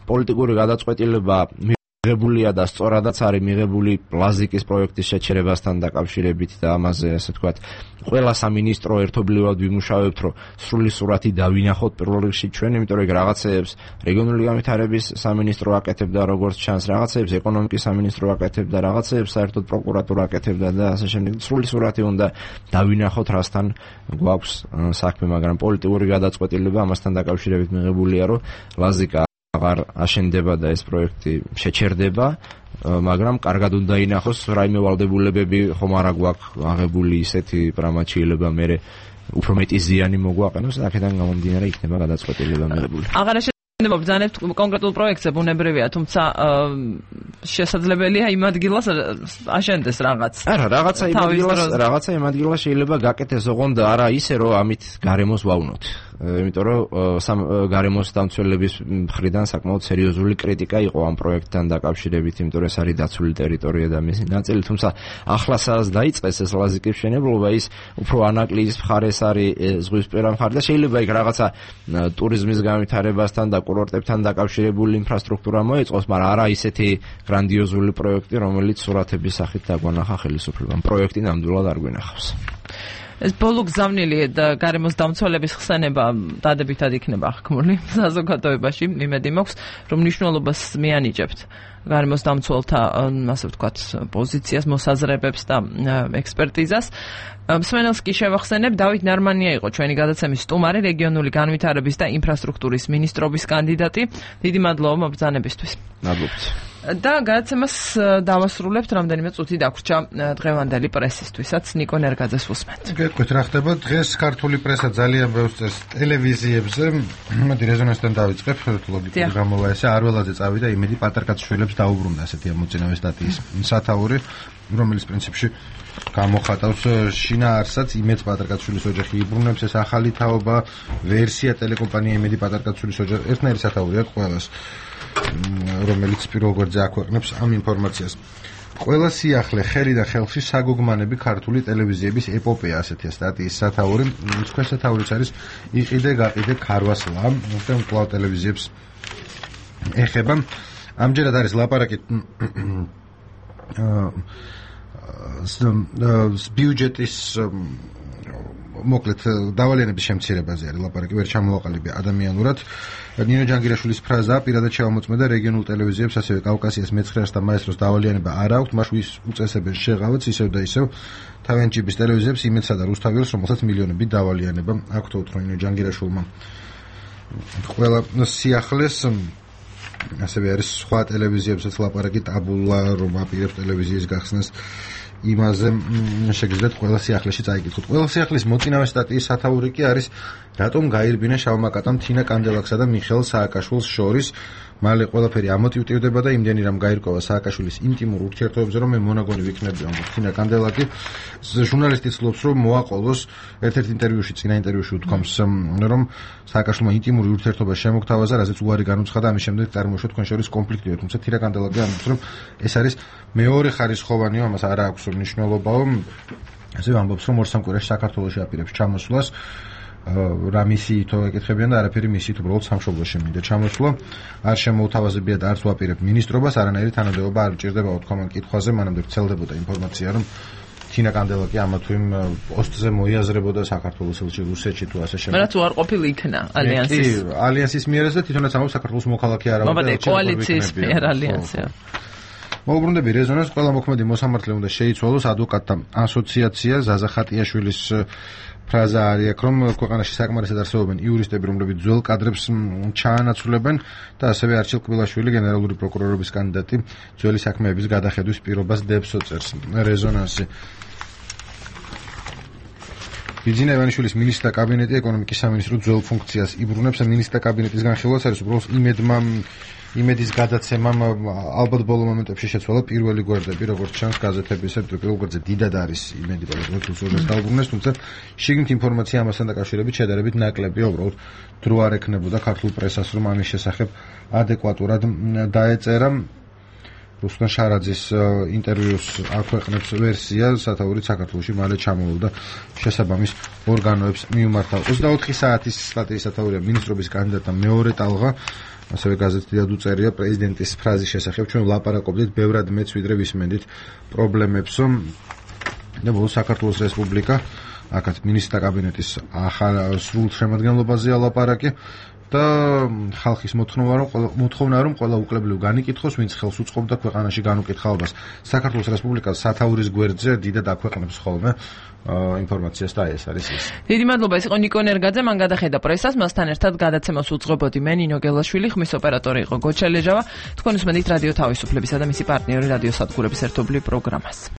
S19: პოლიტიკური გადაწყვეტილება მიღებულია და სწორადაც არის მიღებული ლაზიკის პროექტის შეჩერებასთან დაკავშირებით და ამაზე, ასე ვთქვათ, ყველა სამინისტრო ერთობლივად ვიმუშავებთ, რომ სრული სურათი დავინახოთ პირველ რიგში ჩვენ, იმიტომ რომ რაღაცეებს რეგიონული განვითარების სამინისტრო აკეთებდა, როგორც ჩანს, რაღაცეებს ეკონომიკის სამინისტრო აკეთებდა, რაღაცეებს საერთოდ პროკურატურა აკეთებდა და ასე შემდეგ. სრული სურათი უნდა დავინახოთ, რასთან გვაქვს საქმე, მაგრამ პოლიტიკური გადაწყვეტილება ამასთან დაკავშირებით მიღებულია, რომ ლაზიკა აღარ აშენდება და ეს პროექტი შეჩერდება, მაგრამ კარგად უნდა ინახოს რაიმე ვალდებულებები ხომ არა გვაქვს აღებული ისეთი პრამაჩიელება მე უფრო მეტი ზიანი მოგვაყენოს და აქედან გამომდინარე იქნება გადაწყვეტილება მიღებული.
S1: აღარ აშენდება ბრძანებთ კონკრეტულ პროექტზე ბუნებრივია, თუმცა შესაძლებელია იმ ადგილას აშენდეს რაღაც.
S19: არა, რაღაცა იმ ადგილას შეიძლება გაკეთდეს, ოღონდ არა ისე რომ ამით გარემოს ვავნოთ. იმიტომ რომ გარემოს დამცველების მხრიდან საკმაოდ სერიოზული კრიტიკა იყო ამ პროექტთან დაკავშირებით, იმიტომ რომ ეს არის დაცული ტერიტორია და მისი ნაწილი, თუმცა ახლა სადაც დაიწყეს ეს ლაზიკის მშენებლობა, ის უფრო ანაკლიის მხარეს არის ზღვისპირა მხარე და შეიძლება იქ რაღაცა ტურიზმის განვითარებასთან და კურორტებთან დაკავშირებული ინფრასტრუქტურა მოეწყოს, მაგრამ არა ისეთი გრანდიოზული პროექტი, რომელიც სურათების სახით დაგვანახა ხელისუფლებამ. პროექტი ნამდვილად არ გვინახავს.
S1: ეს ბოლო გზავნილი და გარემოს დამცველების ხსენება დადებითად იქნება აღქმული საზოგადოებაში. იმედი მაქვს, რომ მნიშვნელობას მიანიჭებთ გარემოს დამცველთა, ასე ვთქვათ, პოზიციას, მოსაზრებებს და ექსპერტიზას. მსმენელს კი შევახსენებ, დავით ნარმანია იყო ჩვენი გადაცემის სტუმარი, რეგიონული განვითარების და ინფრასტრუქტურის მინისტრობის კანდიდატი. დიდი მადლობა მობრძანებისთვის.
S19: მადლობთ.
S1: და გადაცემას დავასრულებთ, რამდენიმე წუთი დაგვრჩა დღევანდელი პრესისთვისაც. ნიკო ნერგაძეს უსმენთ.
S2: გეტყვით რა ხდება დღეს ქართული პრესა ძალიან ბევრს წეს ტელევიზიებზე. მოდი რეზონანსთან დავიწყებ, ლოგიკური გამოვა ესე არველაძე წავიდა იმედი პატარკაცშვილებს დაუბრუნდა ესეთი ამოწინავე სტატიის სათაური, რომელიც პრინციპში გამოხატავს შინაარსსაც იმედს პატარკაცშვილის ოჯახი იბრუნებს, ეს ახალი თაობა, ვერსია ტელეკომპანია იმედი პატარკაცშვილის ოჯახი, ერთნაირი სათაური აქვს ყველას, რომელიც პირველ გვერდზე აქვეყნებს ამ ინფორმაციას. ყველა სიახლე, ხელი და ხელში საგოგმანები ქართული ტელევიზიების ეპოპეა, ასეთია სტატიის სათაური. თქვენ სათაურიც არის იყიდე გაყიდე ქარვასლა, თუმცა კვლავ ტელევიზიებს ეხება. ამჯერად არის ლაპარაკი ბიუჯეტის მოკლედ დავალიანების შემცირებაზე არის ლაპარაკი, ვერ ჩამოვაყალიბე ადამიანურად. ნინო ჯანგირაშვილის ფრაზა პირადად შევამოწმე რეგიონულ ტელევიზიებს, ასევე კავკასიას მეცხრეას და მაესტროს დავალიანება არ აქვს, მას ვის უწესებენ შეღავაც ისევ და ისევ თავიანთი ჯიბის ტელევიზიებს იმედსა და რუსთაველს, რომელსაც მილიონებით დავალიანება აქვს, თორე ნინო ჯანგირაშვილმა ყველა სიახლეს ასევე არის სხვა ტელევიზიებსაც ლაპარაკი ტაბულა, რომ აპირებს ტელევიზიის გახსნას. იმაზე შეგიძლიათ ყველა სიახლეში წაიკითხოთ. ყველა სიახლის მოწინავე სტატიის სათაური კი არის რატომ გაირბინა შავმა კატამ თინა კანდელაქსა და მიხეილ სააკაშვილს შორის. მალე ყველაფერი ამოტივტივდება და იმდენი რამ გაირკვევა სააკაშვილის ინტიმურ ურთიერთობებზე, რომ მე მონაგონი ვიქნები ამბობს თინა კანდელაკი. ჟურნალისტი ცდილობს, რომ მოაყოლოს ერთ-ერთ ინტერვიუში, წინა ინტერვიუში უთქვამს, რომ სააკაშვილმა ინტიმური ურთიერთობა შემოგთავაზა, რაზეც უარი განუცხადა, ამის შემდეგ წარმოიშვა თქვენ შორის კონფლიქტი. თუმცა თინა კანდელაკი ამბობს, რომ ეს არის მეორე ხარისხოვანი, ამას არ აქვს მნიშვნელობა. ასევე ამბობს, რომ ორ-სამ კვირაში საქართველოში აპირებს ჩამოსვლას. რა მისიითო ეკითხებიან და არაფერი მისიით, უბრალოდ სამშობლოში მინდა ჩამოსვლა. არ შემოუთავაზებია და არც ვაპირებ მინისტრობას, არანაირი თანამდებობა არ უჭირდება უთქვამან კითხვაზე, მანამდე ვრცელდებოდა ინფორმაცია, რომ თინა კანდელაკი ამა თუ იმ პოსტზე მოიაზრებოდა საქართველოს ელჩი რუსეთში თუ ასე შემდეგ.
S1: მაგრამ თუ არ ყოფილი იქნა ალიანსის
S2: მიერაც და თვითონაც ამბობს საქართველოს მოქალაქე არ
S1: ავიდა და კოალიციის მიერ ალიანსია.
S2: მოუბრუნდები რეზონანს ყველა მოქმედი მოსამართლე უნდა შეიცვალოს ადვოკატთა ასოციაცია ზაზა ხატიაშვილის ფრაზა არის აქ რომ ქვეყანაში საკმარისად არსებობენ იურისტები რომლებიც ძველ კადრებს ჩაანაცვლებენ და ასევე არჩილ კბილაშვილი გენერალური პროკურორობის კანდიდატი ძველი საქმეების გადახედვის პირობას დებს ოწერს რეზონანსი ბიძინა ივანიშვილის მინისტრთა კაბინეტი ეკონომიკის სამინისტრო ძველ ფუნქციას იბრუნებს მინისტრთა კაბინეტის განხილვაც არის უბრალოდ იმედის გადაცემამ ალბათ ბოლო მომენტებში შეცვალა პირველი გვერდები, როგორც ჩანს გაზეთებისა, პირველ გვერდზე დიდად არის იმედი, რომ რუსულს დაუბრუნეს, თუმცა შიგნით ინფორმაცია ამასთან დაკავშირებით შედარებით ნაკლებია, უბრალოდ დრო არ ექნებოდა ქართულ პრესას, რომ ამის შესახებ ადეკვატურად დაეწერა. რუსლან შარაძის ინტერვიუს აქვეყნებს ვერსია, სათაურით საქართველოში მალე ჩამოვიდა შესაბამის ორგანოებს მიუმართავ. 24 საათის სტატიის სათაურია მინისტრობის კანდიდატთა მეორე ტალღა. ასევე გაზეთში დიდად უწერია პრეზიდენტის ფრაზის შესახებ ჩვენ ვლაპარაკობდით ბევრად მეც ვიდრე ვისმენდით პრობლემებს და ბოლოს საქართველოს რესპუბლიკა აქაც მინისტრთა კაბინეტის ახალ სრულ შემადგენლობაზეა ლაპარაკი და ხალხის მოთხოვნა რომ ყველა უკლებლივ განიკითხოს ვინც ხელს უწყობდა ქვეყანაში განუკითხაობას საქართველოს რესპუბლიკას სათაურის გვერდზე დიდად აქვეყნებს ხოლმე ინფორმაციას და ეს არის ის.
S1: დიდი მადლობა, ეს იყო ნიკო ნერგაძე, მან გადახედა პრესას, მასთან ერთად გადაცემას უძღვებოდი მე ნინო გელაშვილი, ხმის ოპერატორი იყო გოჩა ლეჟავა. თქვენ უსმენთ რადიო თავისუფლებისა და მისი პარტნიორი რადიო სადგურების ერთობლივ პროგრამას.